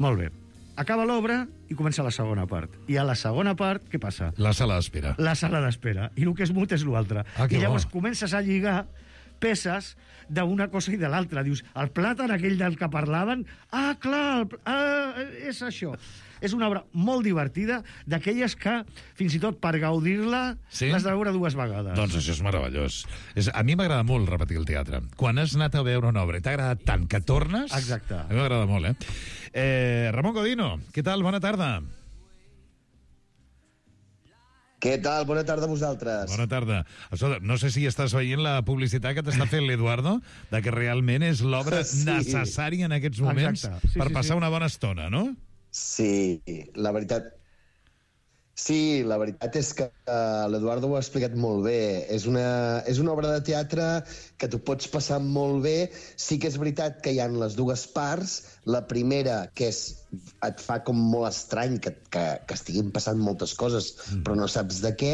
Molt bé. Acaba l'obra i comença la segona part. I a la segona part, què passa? La sala d'espera. La sala d'espera. I el que és mut és l'altre. I llavors comences a lligar peces d'una cosa i de l'altra. Dius, el plàtan aquell del que parlaven, clar, és això. És una obra molt divertida, d'aquelles que, fins i tot per gaudir-la, l'has de veure 2 vegades. Doncs això és meravellós. A mi m'agrada molt repetir el teatre. Quan has anat a veure una obra i t'ha agradat tant que tornes... Exacte. A mi m'agrada molt, Ramon Godino, què tal? Bona tarda. Què tal? Bona tarda a vosaltres. Bona tarda. No sé si estàs veient la publicitat que t'està fent l'Eduardo, de que realment és l'obra necessària en aquests moments per passar una bona estona, no? Sí, la veritat... Sí, la veritat és que l'Eduardo ho ha explicat molt bé. És una obra de teatre que tu pots passar molt bé. Sí que és veritat que hi ha les 2 parts. La primera, que et fa com molt estrany que estiguin passant moltes coses, però no saps de què.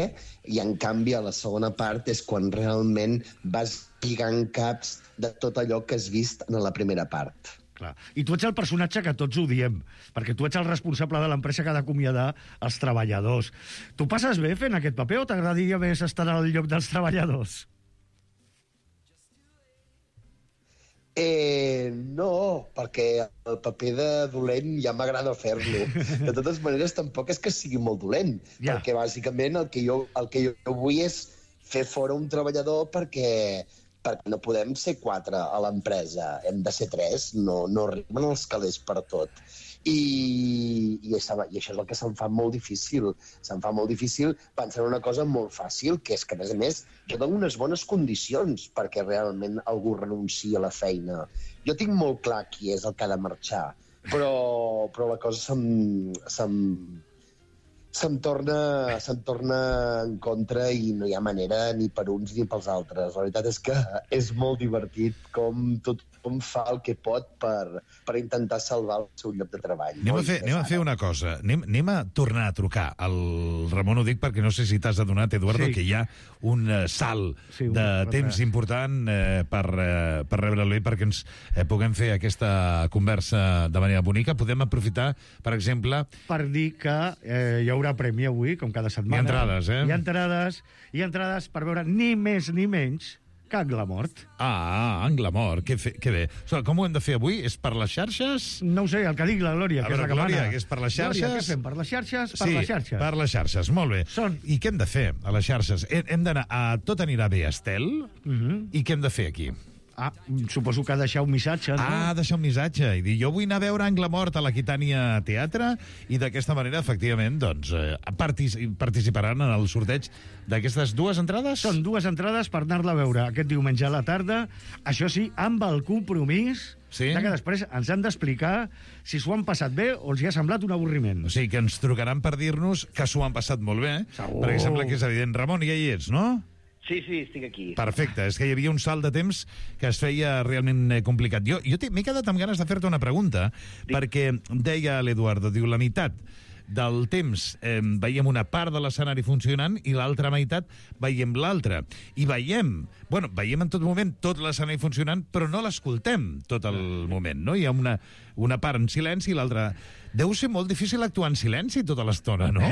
I, en canvi, a la segona part és quan realment vas lligant caps de tot allò que has vist en la primera part. Clar. I tu ets el personatge que tots odiem, perquè tu ets el responsable de l'empresa que ha d'acomiadar els treballadors. Tu passes bé fent aquest paper o t'agradaria més estar al lloc dels treballadors? No, perquè el paper de dolent ja m'agrada fer-lo. De totes maneres, tampoc és que sigui molt dolent, perquè bàsicament el que jo vull és fer fora un treballador perquè no podem ser 4 a l'empresa, hem de ser 3, no arriben els calés per tot. I això és el que se'm fa molt difícil. Se'm fa molt difícil pensar en una cosa molt fàcil, que és que, a més a més, jo dono unes bones condicions perquè realment algú renunciï a la feina. Jo tinc molt clar qui és el que ha de marxar, però la cosa se'm torna en contra i no hi ha manera ni per uns ni pels altres. La veritat és que és molt divertit com tothom fa el que pot per intentar salvar el seu lloc de treball. Anem a fer una cosa. Anem a tornar a trucar. El Ramon ho dic perquè no sé si t'has adonat, Eduardo, que hi ha un salt de temps important per rebre-lo perquè ens puguem fer aquesta conversa de manera bonica. Podem aprofitar, per exemple... Per dir que hi haurà premi avui, com cada setmana. Hi ha entrades, Hi ha entrades per veure ni més ni menys que Angle Mort. Angle Mort, que bé. Com ho hem de fer avui? És per les xarxes? No ho sé, el que digui la Glòria, que és la que mana. Glòria, que és per les xarxes? Glòria, què fem? Per les xarxes? Per les xarxes. Per les xarxes, molt bé. I què hem de fer a les xarxes? Hem d'anar a Tot anirà bé, Estel? I què hem de fer aquí? Suposo que deixar un missatge, no? Deixar un missatge i dir, jo vull anar a veure Angle Mort a l'Aquitània Teatre i d'aquesta manera, efectivament, doncs, participaran en el sorteig d'aquestes 2 entrades? Són 2 entrades per anar-la a veure aquest diumenge a la tarda, això sí, amb el compromís que després ens han d'explicar si s'ho han passat bé o els hi ha semblat un avorriment. O sigui, que ens trucaran per dir-nos que s'ho han passat molt bé, perquè sembla que és evident. Ramon, ja hi ets, no? Sí, estic aquí. Perfecte, és que hi havia un salt de temps que es feia realment complicat. Jo m'he quedat amb ganes de fer-te una pregunta, perquè deia l'Eduardo, diu, la meitat del temps veiem una part de l'escenari funcionant i l'altra meitat veiem l'altra. I veiem en tot moment tot l'escenari funcionant, però no l'escoltem tot el moment, no? Hi ha una part en silenci i l'altra... Deu ser molt difícil actuar en silenci tota l'estona, no?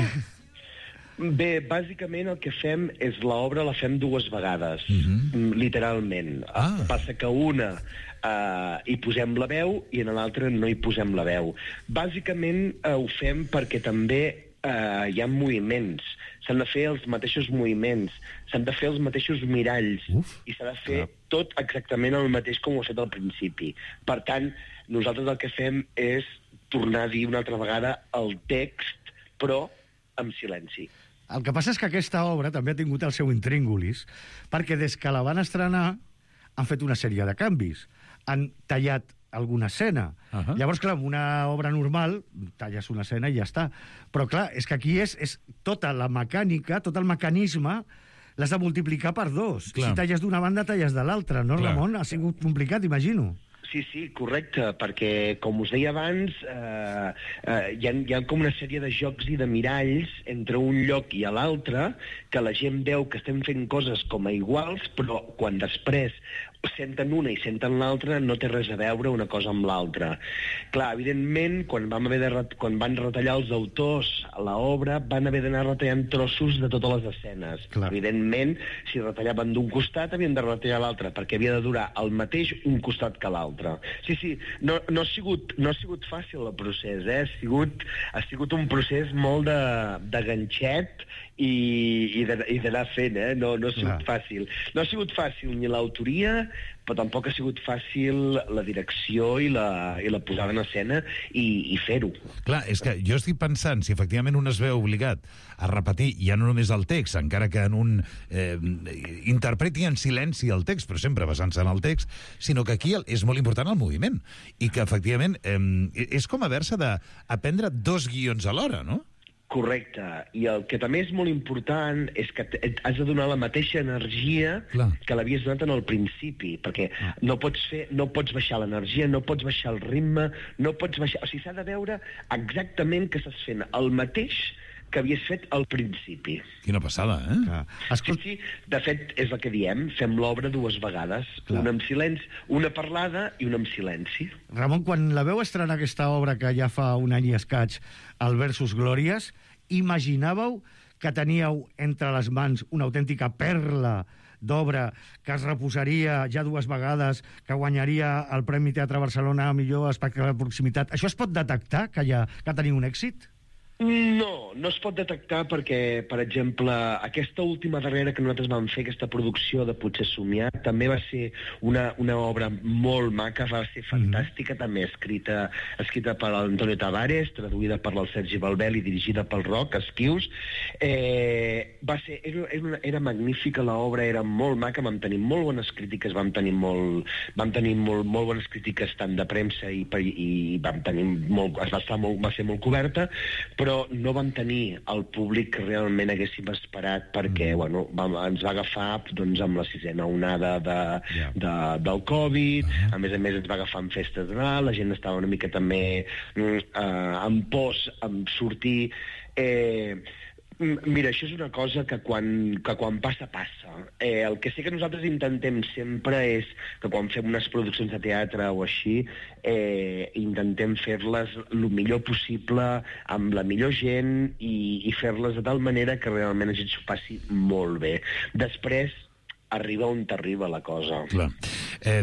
Bé, bàsicament el que fem és l'obra la fem 2 vegades, literalment. Passa que una hi posem la veu i en l'altra no hi posem la veu. Bàsicament ho fem perquè també hi ha moviments, s'han de fer els mateixos moviments, s'han de fer els mateixos miralls i s'ha de fer tot exactament el mateix com ho ha fet al principi. Per tant, nosaltres el que fem és tornar a dir una altra vegada el text, però amb silenci. El que passa és que aquesta obra també ha tingut el seu intríngulis, perquè des que la van estrenar han fet una sèrie de canvis. Han tallat alguna escena. Llavors, clar, amb una obra normal talles una escena i ja està. Però, clar, és que aquí és tota la mecànica, tot el mecanisme, l'has de multiplicar per 2. Clar. Si talles d'una banda, talles de l'altra, no, Clar. Ramon? Ha sigut complicat, imagino. Sí, correcte, perquè, com us deia abans, hi ha com una sèrie de jocs i de miralls entre un lloc i l'altre, que la gent veu que estem fent coses com a iguals, però quan després senten una i senten l'altra, no té res a veure una cosa amb l'altra. Clar, evidentment, quan van retallar els autors a l'obra, van haver d'anar retallant trossos de totes les escenes. Clar. Evidentment, si retallaven d'un costat, havien de retallar l'altre, perquè havia de durar el mateix un costat que l'altre. Sí, no ha sigut fàcil el procés, ha sigut un procés molt de ganxet i d'anar fent, no ha sigut fàcil. No ha sigut fàcil ni l'autoria, però tampoc ha sigut fàcil la direcció i la posada en escena i fer-ho. Clar, és que jo estic pensant, si efectivament un es veu obligat a repetir ja no només el text, encara que en un interpreti en silenci el text, però sempre basant-se en el text, sinó que aquí és molt important el moviment, i que efectivament és com haver-se d'aprendre 2 guions alhora, no? Correcte. I el que també és molt important és que has de donar la mateixa energia que l'havies donat en el principi, perquè no pots baixar l'energia, no pots baixar el ritme, no pots baixar... O sigui, s'ha de veure exactament que estàs fent el mateix que havies fet al principi. Quina passada, Sí, de fet, és el que diem, fem l'obra 2 vegades, una amb silenci, una parlada i una amb silenci. Ramon, quan la veu estrenar aquesta obra que ja fa un any i escaig, el Versus Glòries, imaginàveu que teníeu entre les mans una autèntica perla d'obra que es reposaria ja 2 vegades, que guanyaria el Premi Teatre Barcelona a millor espectacle de proximitat? Això es pot detectar, que teniu un èxit? No es pot detectar perquè, per exemple, aquesta última darrera que nosaltres vam fer, aquesta producció de Potser somiar, també va ser una obra molt maca, va ser fantàstica, també escrita per l'Antonio Tavares, traduïda per el Sergi Balbel i dirigida pel Roc Esquius. Era magnífica l'obra, era molt maca, vam tenir molt bones crítiques, vam tenir molt bones crítiques tant de premsa i vam tenir va ser molt coberta, però no vam tenir el públic que realment haguéssim esperat perquè ens va agafar amb la 6a onada del Covid, a més ens va agafar en festes de Nadal, la gent estava una mica també amb pors amb sortir. Mira, això és una cosa que quan passa. El que sí que nosaltres intentem sempre és que quan fem unes produccions de teatre o així, intentem fer-les el millor possible, amb la millor gent i fer-les de tal manera que realment la gent s'ho passi molt bé. Després arriba on t'arriba la cosa. Clar.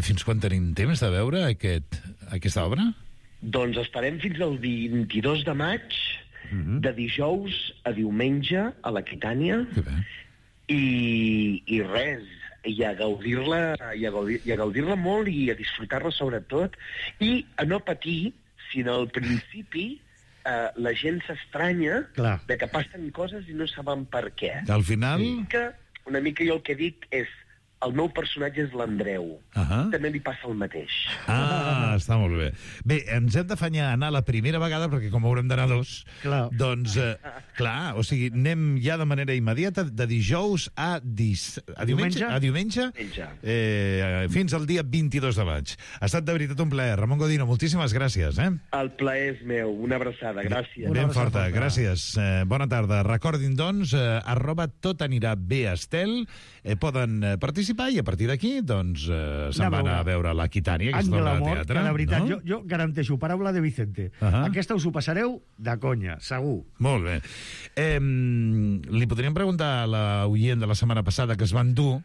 Fins quan tenim temps de veure aquesta obra? Doncs estarem fins al 22 de maig, de dijous a diumenge a l'Aquitània, i res, i a gaudir-la molt i a disfrutar-la sobretot, i a no patir si al principi la gent s'estranya de que passen coses i no saben per què. Al final... Una mica jo el que dic és el meu personatge és l'Andreu. També li passa el mateix. Ah, està molt bé. Bé, ens hem d'afanyar a anar la primera vegada, perquè com haurem d'anar dos, doncs, clar, o sigui, anem ja de manera immediata, de dijous a diumenge? A diumenge? Fins al dia 22 de maig. Ha estat de veritat un plaer. Ramon Godino, moltíssimes gràcies. El plaer és meu. Una abraçada. Gràcies. Ben forta, gràcies. Bona tarda. Recordin, doncs, @totanirabestel. Poden participar i a partir d'aquí doncs se'n van a veure l'Aquitània, aquesta obra de teatre. Que la veritat, jo garanteixo, paraula de Vicente, aquesta us ho passareu de conya, segur. Molt bé. Li podríem preguntar a l'oient de la setmana passada que es van dur,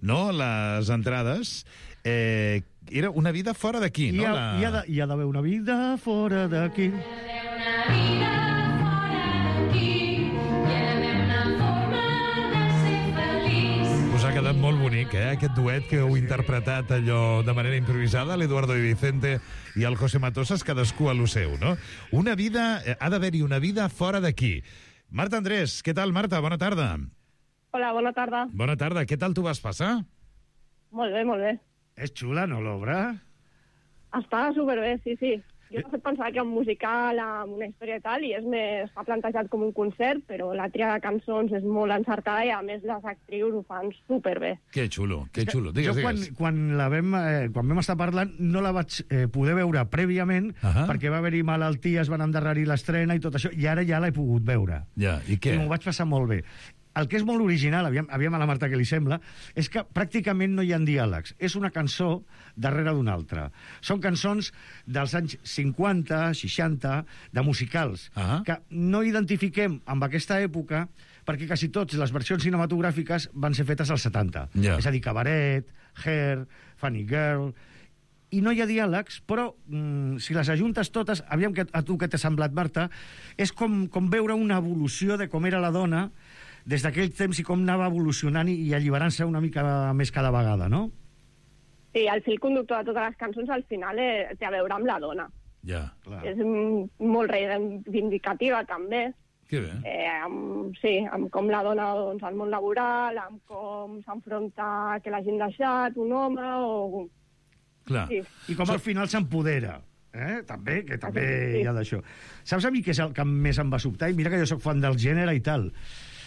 no?, les entrades. Era una vida fora d'aquí, no? Hi ha d'haver una vida fora d'aquí. Us ha quedat molt bonic, aquest duet que heu interpretat allò de manera improvisada, l'Eduardo i Vicente i el José Matosas, cadascú a lo seu, no? Una vida, ha d'haver-hi una vida fora d'aquí. Marta Andrés, què tal, Marta? Bona tarda. Hola, bona tarda. Bona tarda, què tal t'ho vas passar? Molt bé, molt bé. És xula, no, l'obra? Està superbé, sí. Jo he fet pensar que un musical amb una història i tal, i està plantejat com un concert, però la tria de cançons és molt encertada i, a més, les actrius ho fan superbé. Que xulo, que xulo. Digues. Quan vam estar parlant, no la vaig poder veure prèviament, perquè va haver-hi malalties, van endarrerir l'estrena i tot això, i ara ja l'he pogut veure. Ja, i què? I m'ho vaig passar molt bé. El que és molt original, aviam a la Marta què li sembla, és que pràcticament no hi ha diàlegs. És una cançó darrere d'una altra. Són cançons dels anys 50, 60, de musicals, que no identifiquem amb aquesta època perquè quasi tots les versions cinematogràfiques van ser fetes als 70. És a dir, Cabaret, Hair, Funny Girl... I no hi ha diàlegs, però si les ajuntes totes, aviam a tu què t'ha semblat, Marta, és com veure una evolució de com era la dona des d'aquell temps i com anava evolucionant i alliberant-se una mica més cada vegada, no? Sí, el fil conductor de totes les cançons al final té a veure amb la dona. Ja, clar. És molt reivindicativa, també. Que bé. Amb com la dona, doncs, al món laboral, amb com s'enfronta que l'hagin deixat, un home, o... Clar. Sí. I com al final s'empodera. També hi ha d'això. Saps a mi què és el que més em va sobtar? I mira que jo sóc fan del gènere i tal.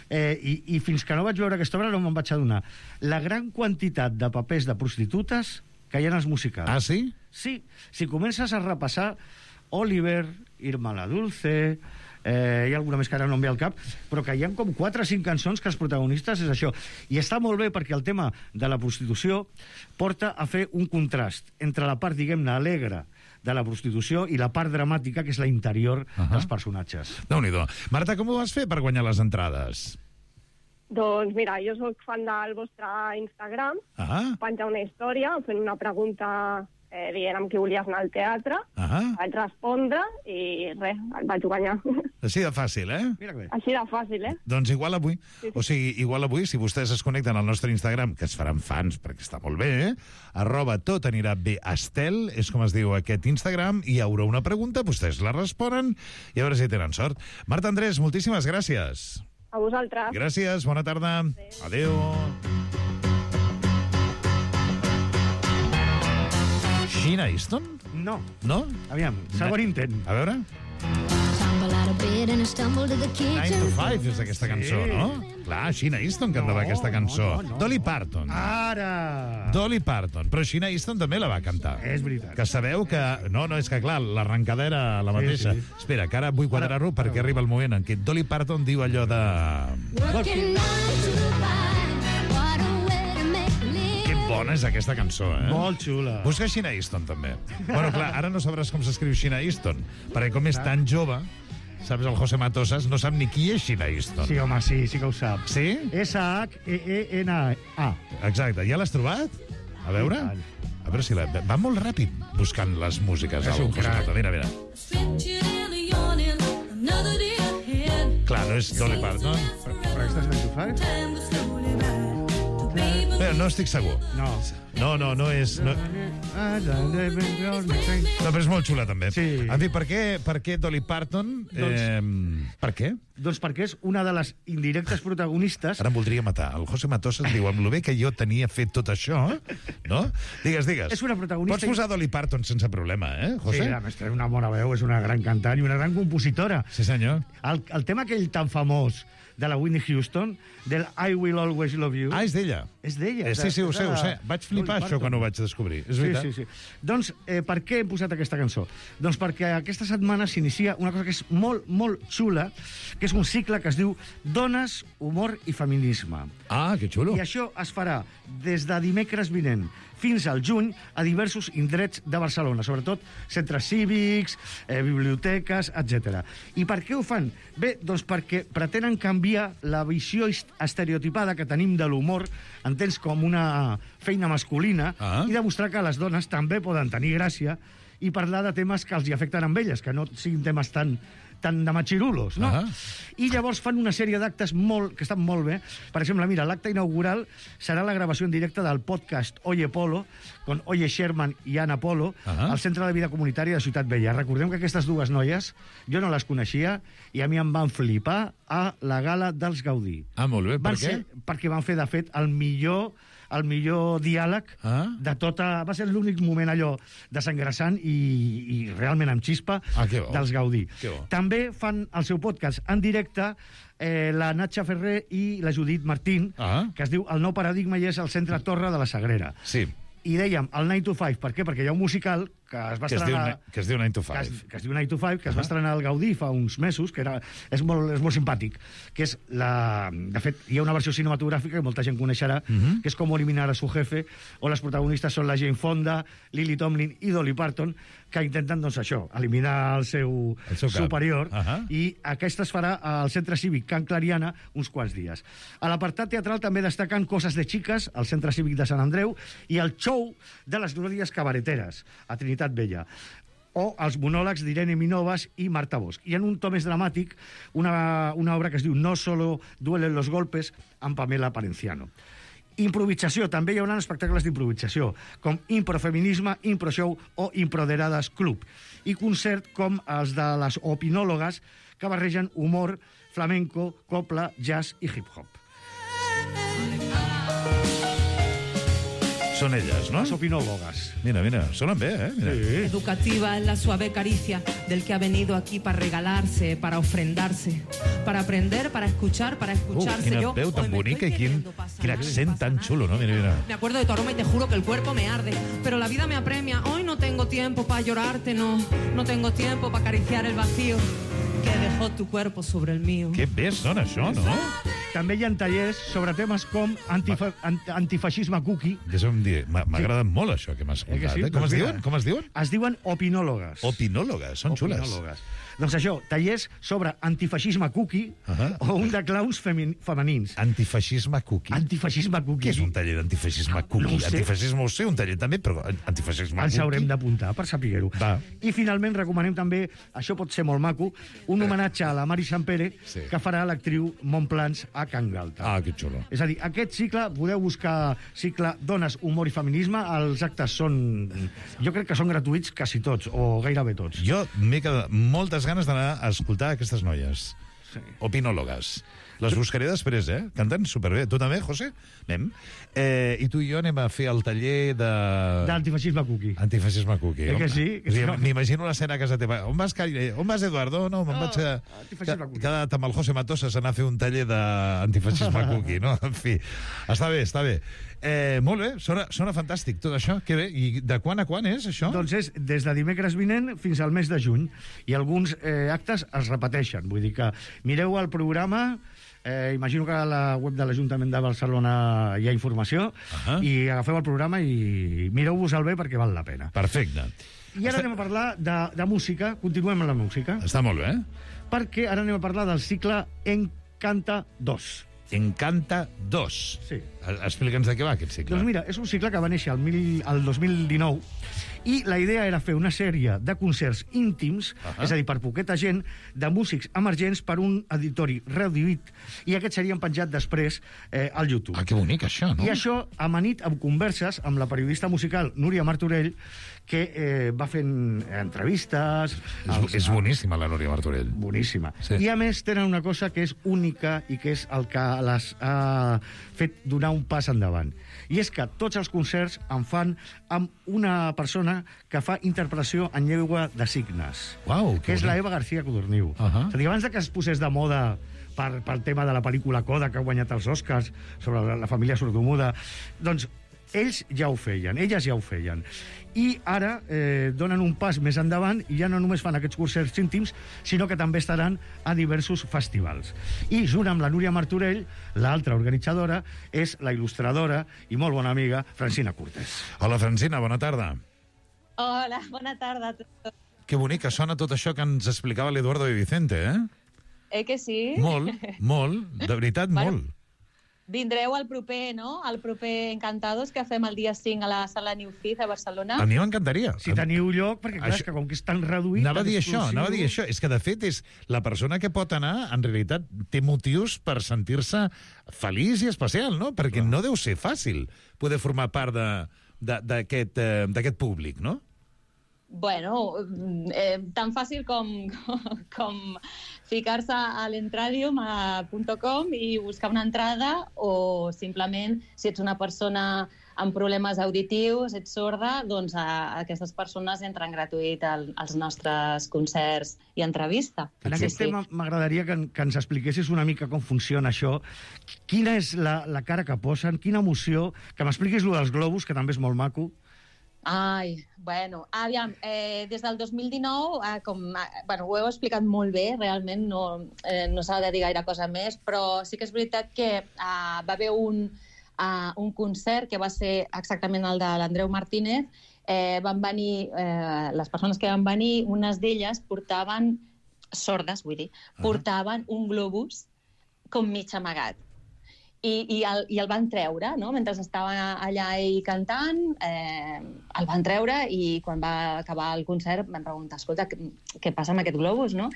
I fins que no vaig veure aquesta obra no me'n vaig adonar. La gran quantitat de papers de prostitutes que hi ha als musicals. Ah, sí? Sí. Si comences a repassar Oliver, Irma la Dulce... hi ha alguna més que ara no em ve al cap, però que hi ha com 4 o 5 cançons que els protagonistes és això. I està molt bé perquè el tema de la prostitució porta a fer un contrast entre la part, diguem-ne, alegre de la prostitució i la part dramàtica, que és la interior dels personatges. Déu-n'hi-do. Marta, com ho vas fer per guanyar les entrades? Doncs mira, jo sóc fan del vostre Instagram, penjar una història fent una pregunta dient amb qui volies anar al teatre, vaig respondre i res, el vaig guanyar. Així de fàcil, Així de fàcil, Doncs igual avui, o sigui, igual avui, si vostès es connecten al nostre Instagram, que es faran fans, perquè està molt bé, @totanirabestel, és com es diu aquest Instagram, i hi haurà una pregunta, vostès la responen, i a veure si tenen sort. Marta Andrés, moltíssimes gràcies. A vosaltres. Gràcies, bona tarda. Adéu. Sheena Easton? No. No? Aviam, segon intent. A veure. 9 to 5 és aquesta cançó, no? Clar, Sheena Easton cantava aquesta cançó. Dolly Parton. Ara! Dolly Parton. Però Sheena Easton també la va cantar. És veritat. Que sabeu que... No, és que clar, l'arrencada era la mateixa. Espera, que ara vull quadrar-ho perquè arriba el moment en què Dolly Parton diu allò de... Bona és aquesta cançó, Molt xula. Busca Sheena Easton, també. Bueno, clar, ara no sabràs com s'escriu Sheena Easton, perquè com és tan jove, saps, el José Matosas no sap ni qui és Sheena Easton. Sí, home, sí que ho sap. Sí? S-H-E-E-N-A. Exacte. Ja l'has trobat? A veure? A veure si va molt ràpid buscant les músiques. És un crac. Mira. Clar, no és Dolly Parton. Però aquesta és 9 to 5? Però no estic segur. No. No és... No, però és molt xula, també. Sí. En fi, per què Dolly Parton? Per què? Doncs perquè és una de les indirectes protagonistes... Ara em voldria matar. El José Matosa em diu, amb lo bé que jo tenia fet tot això, no? Digues. És una protagonista... Pots posar Dolly Parton sense problema, José? Sí, a més, té una bona veu, és una gran cantant i una gran compositora. Sí, senyor. El tema aquell tan famós de la Whitney Houston, del I Will Always Love You... Ah, és d'ella? És d'ella. Sí, ho sé. Vaig flipar això quan ho vaig descobrir. És veritat. Sí. Doncs, per què hem posat aquesta cançó? Doncs perquè aquesta setmana s'inicia una cosa que és molt, molt xula, que és un cicle que es diu Dones, Humor i Feminisme. Ah, que xulo. I això es farà des de dimecres vinent fins al juny a diversos indrets de Barcelona, sobretot centres cívics, biblioteques, etc. I per què ho fan? Bé, doncs perquè pretenen canviar la visió estereotipada que tenim de l'humor, entens, com una feina masculina, i demostrar que les dones també poden tenir gràcia i parlar de temes que els hi afecten amb elles, que no siguin temes tan de machirulos, no? I llavors fan una sèrie d'actes que estan molt bé. Per exemple, mira, l'acte inaugural serà la gravació en directe del podcast Oye Polo, con Oye Sherman i Ana Polo, al Centre de Vida Comunitària de Ciutat Vella. Recordem que aquestes dues noies, jo no les coneixia, i a mi em van flipar a la gala dels Gaudí. Ah, molt bé, per què? Perquè van fer, de fet, el millor diàleg de tota... Va ser l'únic moment allò desengressant i realment amb xispa dels Gaudí. També fan el seu podcast en directe la Natxa Ferrer i la Judit Martín, que es diu El nou paradigma i és al Centre Torre de la Sagrera. Sí. I dèiem el 9 to 5, per què? Perquè hi ha un musical que es va estrenar... Que es diu 9 to 5. Que es diu 9 to 5, que es va estrenar al Gaudí fa uns mesos, que és molt simpàtic, que és la... De fet, hi ha una versió cinematogràfica que molta gent coneixerà, que és Com eliminar a su jefe, on les protagonistes són la Jane Fonda, Lily Tomlin i Dolly Parton, que intenten, doncs, això, eliminar el seu superior, i aquesta es farà al Centre Cívic Can Clariana uns quants dies. A l'apartat teatral també destaquen Coses de Chicas, al Centre Cívic de Sant Andreu, i el show de les Glòries Cabareteres, a Trinitat Vella, o els monòlegs d'Irene Minovas i Marta Bosch. I en un to més dramàtic, una obra que es diu No solo duelen los golpes, amb Pamela Parenciano. Improvisació, també hi haurà espectacles d'improvisació, com Improfeminisme, Improshow o Improderadas Club. I concert com els de les opinòlogues, que barregen humor, flamenco, copla, jazz i hip-hop. Són elles, ¿no? Las opinólogas. Mira, sonan bé, Mira. Sí. Educativa es la suave caricia del que ha venido aquí para regalarse, para ofrendarse, para aprender, para escuchar, para escucharse. Quina veu tan bonica i quin accent tan xulo, ¿no? Mira. Me acuerdo de tu aroma y te juro que el cuerpo me arde, pero la vida me apremia. Hoy no tengo tiempo para llorarte, no tengo tiempo para acariciar el vacío que dejó tu cuerpo sobre el mío. Que bé sona això, no? També hi ha tallers sobre temes com antifeixisme cookie. M'ha agradat molt això que m'has escoltat. Sí? Com es diuen? Es diuen opinòlogues. Opinòlogues, són xules. Doncs això, tallers sobre antifeixisme cookie o un de clowns femenins. Antifeixisme cookie. Antifeixisme cookie. Què és un taller d'antifeixisme cookie? No Antifeixisme ho sé, un taller també, però antifeixisme ens cookie... haurem d'apuntar per saber-ho. I finalment recomanem també, això pot ser molt maco, un homenatge a la Mari Sampere, que farà l'actriu Montplans a Can Galta. Ah, que xulo. És a dir, aquest cicle, podeu buscar cicle Dones, Humor i Feminisme, els actes són... Jo crec que són gratuïts quasi tots, o gairebé tots. Jo m'he quedat moltes ganes d'anar a escoltar aquestes noies. Opinòlogues. Les buscaré després, Canten superbé. Tu també, José? Anem. I tu i jo anem a fer el taller de... D'antifeixisme cookie. Antifeixisme cookie. Que sí? M'imagino l'escena a casa teva. On vas, Eduardo? No, me'n vaig quedat amb el José Matosas a anar a fer un taller d'antifeixisme cookie, no? En fi, està bé. Molt bé, sona fantàstic tot això. Que bé. I de quan a quan és, això? Doncs és des de dimecres vinent fins al mes de juny. I alguns actes es repeteixen. Vull dir que mireu el programa... imagino que a la web de l'Ajuntament de Barcelona hi ha informació, i agafeu el programa i mireu-vos-el bé perquè val la pena. Perfecte. I ara anem a parlar de música. Continuem amb la música. Està molt bé. Perquè ara anem a parlar del cicle Encanta 2. Encanta 2. Sí. Explica'ns de què va aquest cicle. Doncs mira, és un cicle que va néixer el 2019 I la idea era fer una sèrie de concerts íntims, és a dir, per poqueta gent, de músics emergents per un auditori reduït, i aquests serien penjats després al YouTube. Ah, que bonic, això, no? I això amanit amb converses amb la periodista musical Núria Martorell, que va fent entrevistes... És boníssima, la Núria Martorell. Boníssima. Sí. I, a més, tenen una cosa que és única i que és el que les ha fet donar un pas endavant. I és que tots els concerts en fan amb una persona que fa interpretació en llengua de signes. Uau, que és la Eva García Codorniu. És a dir, abans que es posés de moda pel tema de la pel·lícula Coda, que ha guanyat els Oscars, sobre la família sordomuda, doncs ells ja ho feien, elles ja ho feien. I ara donen un pas més endavant i ja no només fan aquests concerts íntims, sinó que també estaran a diversos festivals. I junt amb la Núria Martorell, l'altra organitzadora, és la il·lustradora i molt bona amiga Francina Cortés. Hola, Francina, bona tarda. Hola, bona tarda a tots. Que bonic que sona tot això que ens explicava l'Eduardo de Vicente, Que sí? Molt, de veritat, molt. Vindreu al proper, no? Al proper Encantados, que fem el dia 5 a la sala New Fit a Barcelona. A mi m'encantaria. Si teniu lloc, perquè clar, és que com que és tan reduït... Anava a dir això. És que, de fet, és la persona que pot anar, en realitat, té motius per sentir-se feliç i especial, no? Perquè no deu ser fàcil poder formar part d'aquest públic, no? Bueno, tan fàcil com ficar-se a l'entradium.com i buscar una entrada, o simplement, si ets una persona amb problemes auditius, ets sorda, doncs aquestes persones entren gratuït als nostres concerts i entrevista. En aquest tema m'agradaria que ens expliquessis una mica com funciona això. Quina és la cara que posen, quina emoció, que m'expliquis lo dels globus, que també és molt maco. Ai, bueno, aviam, des del 2019, ho heu explicat molt bé, realment no s'ha de dir gaire cosa més, però sí que és veritat que va haver un concert que va ser exactament el de l'Andreu Martínez. Van venir, les persones que van venir, unes d'elles portaven, sordes vull dir, portaven un globus com mig amagat. I el van treure, no? Mentre estava allà ell cantant, el van treure, i quan va acabar el concert vam preguntar, escolta, què passa amb aquest globus, no?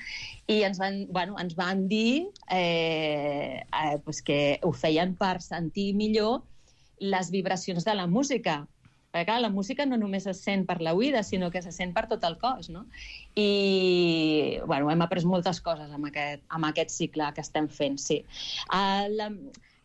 I ens van dir que ho feien per sentir millor les vibracions de la música. Perquè, clar, la música no només es sent per l'oïda, sinó que se sent per tot el cos, no? I, hem après moltes coses amb aquest cicle que estem fent, sí.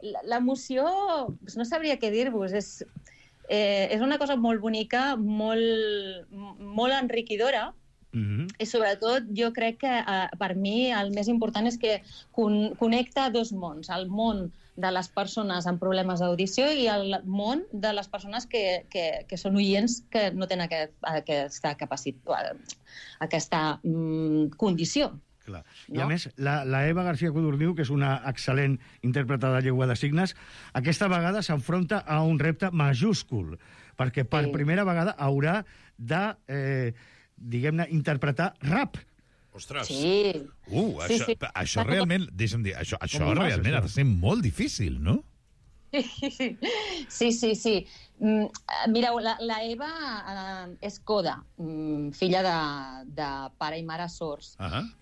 L'emoció, no sabria què dir-vos, és una cosa molt bonica, molt enriquidora, i sobretot jo crec que per mi el més important és que connecta dos mons, el món de les persones amb problemes d'audició i el món de les persones que són oients que no tenen aquesta capacitat, aquesta condició. Clar. I a més, la Eva García Codorniu, que és una excel·lent intèrpreta de llengua de signes, aquesta vegada s'enfronta a un repte majúscul, perquè per primera vegada haurà de, diguem-ne, interpretar rap. Ostres! Sí. Això realment, deixa'm dir, això realment ha de ser molt difícil, no? Sí. Mireu, la Eva és coda, filla de pare i mare sords.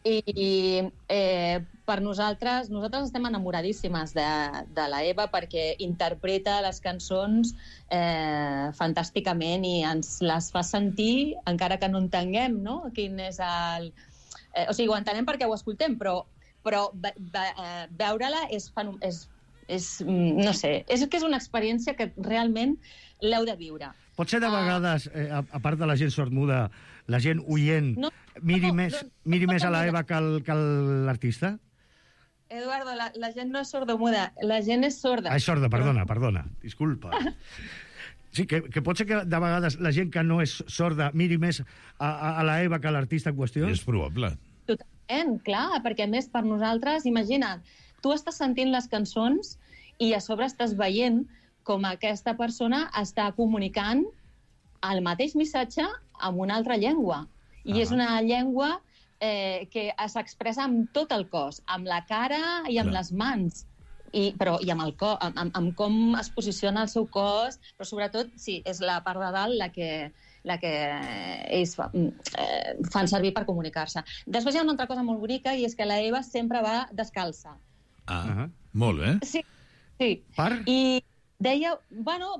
I per nosaltres estem enamoradíssimes de la Eva perquè interpreta les cançons fantàsticament i ens les fa sentir, encara que no entenguem, no? Quin és el... O sigui, ho entenem perquè ho escoltem, però veure-la és no sé, és que és una experiència que realment l'heu de viure. Pot ser de vegades, a part de la gent sordmuda, la gent oient, miri més a la Eva que l'artista? Eduardo, la gent no és sordomuda, la gent és sorda. És sorda, perdona, disculpa. Sí, que pot ser que de vegades la gent que no és sorda miri més a la Eva que a l'artista en qüestió? És probable. Totalment, clar, perquè a més per nosaltres, imagina't, tu estàs sentint les cançons i a sobre estàs veient com aquesta persona està comunicant el mateix missatge amb una altra llengua. I és una llengua que s'expressa amb tot el cos, amb la cara i amb les mans. I amb com es posiciona el seu cos, però sobretot, sí, és la part de dalt la que ells fan servir per comunicar-se. Després hi ha una altra cosa molt bonica, i és que la Eva sempre va descalça. Molt bé. Sí. I deia,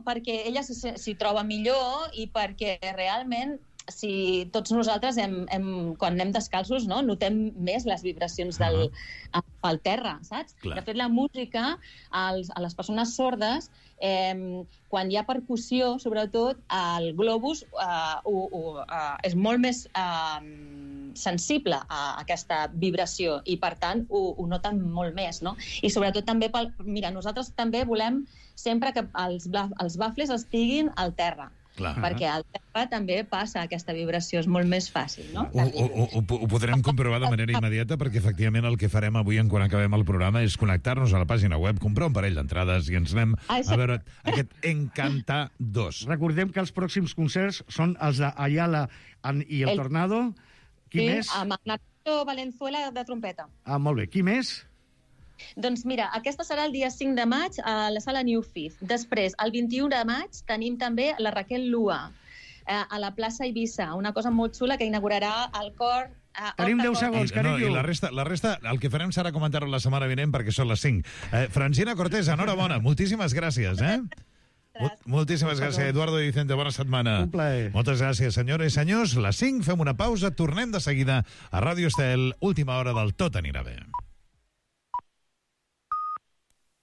perquè ella s'hi troba millor i perquè realment si tots nosaltres, quan anem descalços, notem més les vibracions pel terra, saps? De fet, la música, a les persones sordes, quan hi ha percussió, sobretot, el globus és molt més sensible a aquesta vibració i, per tant, ho noten molt més, no? I sobretot també, mira, nosaltres també volem sempre que els bafles estiguin al terra. Perquè al terra també passa aquesta vibració, és molt més fàcil, no? Ho podrem comprovar de manera immediata, perquè efectivament el que farem avui quan acabem el programa és connectar-nos a la pàgina web, comprar un parell d'entrades i ens anem a veure aquest Encanta 2. Recordem que els pròxims concerts són els d'Ayala i el Tornado. Qui més? Sí, amb Nacho Valenzuela de trompeta. Molt bé. Qui més? Doncs mira, aquesta serà el dia 5 de maig a la sala New Fifth. Després, el 21 de maig, tenim també la Raquel Lua a la plaça Eivissa, una cosa molt xula que inaugurarà el cor... Tenim 10 segons, carinyo. I la resta, el que farem serà comentar-ho la setmana vinent perquè són les 5. Francina Cortés, enhorabona, moltíssimes gràcies, Moltíssimes gràcies, Eduardo i Vicente, bona setmana. Un plaer. Moltes gràcies, senyores i senyors. Les 5, fem una pausa, tornem de seguida a Ràdio Estel, última hora del Tot anirà bé.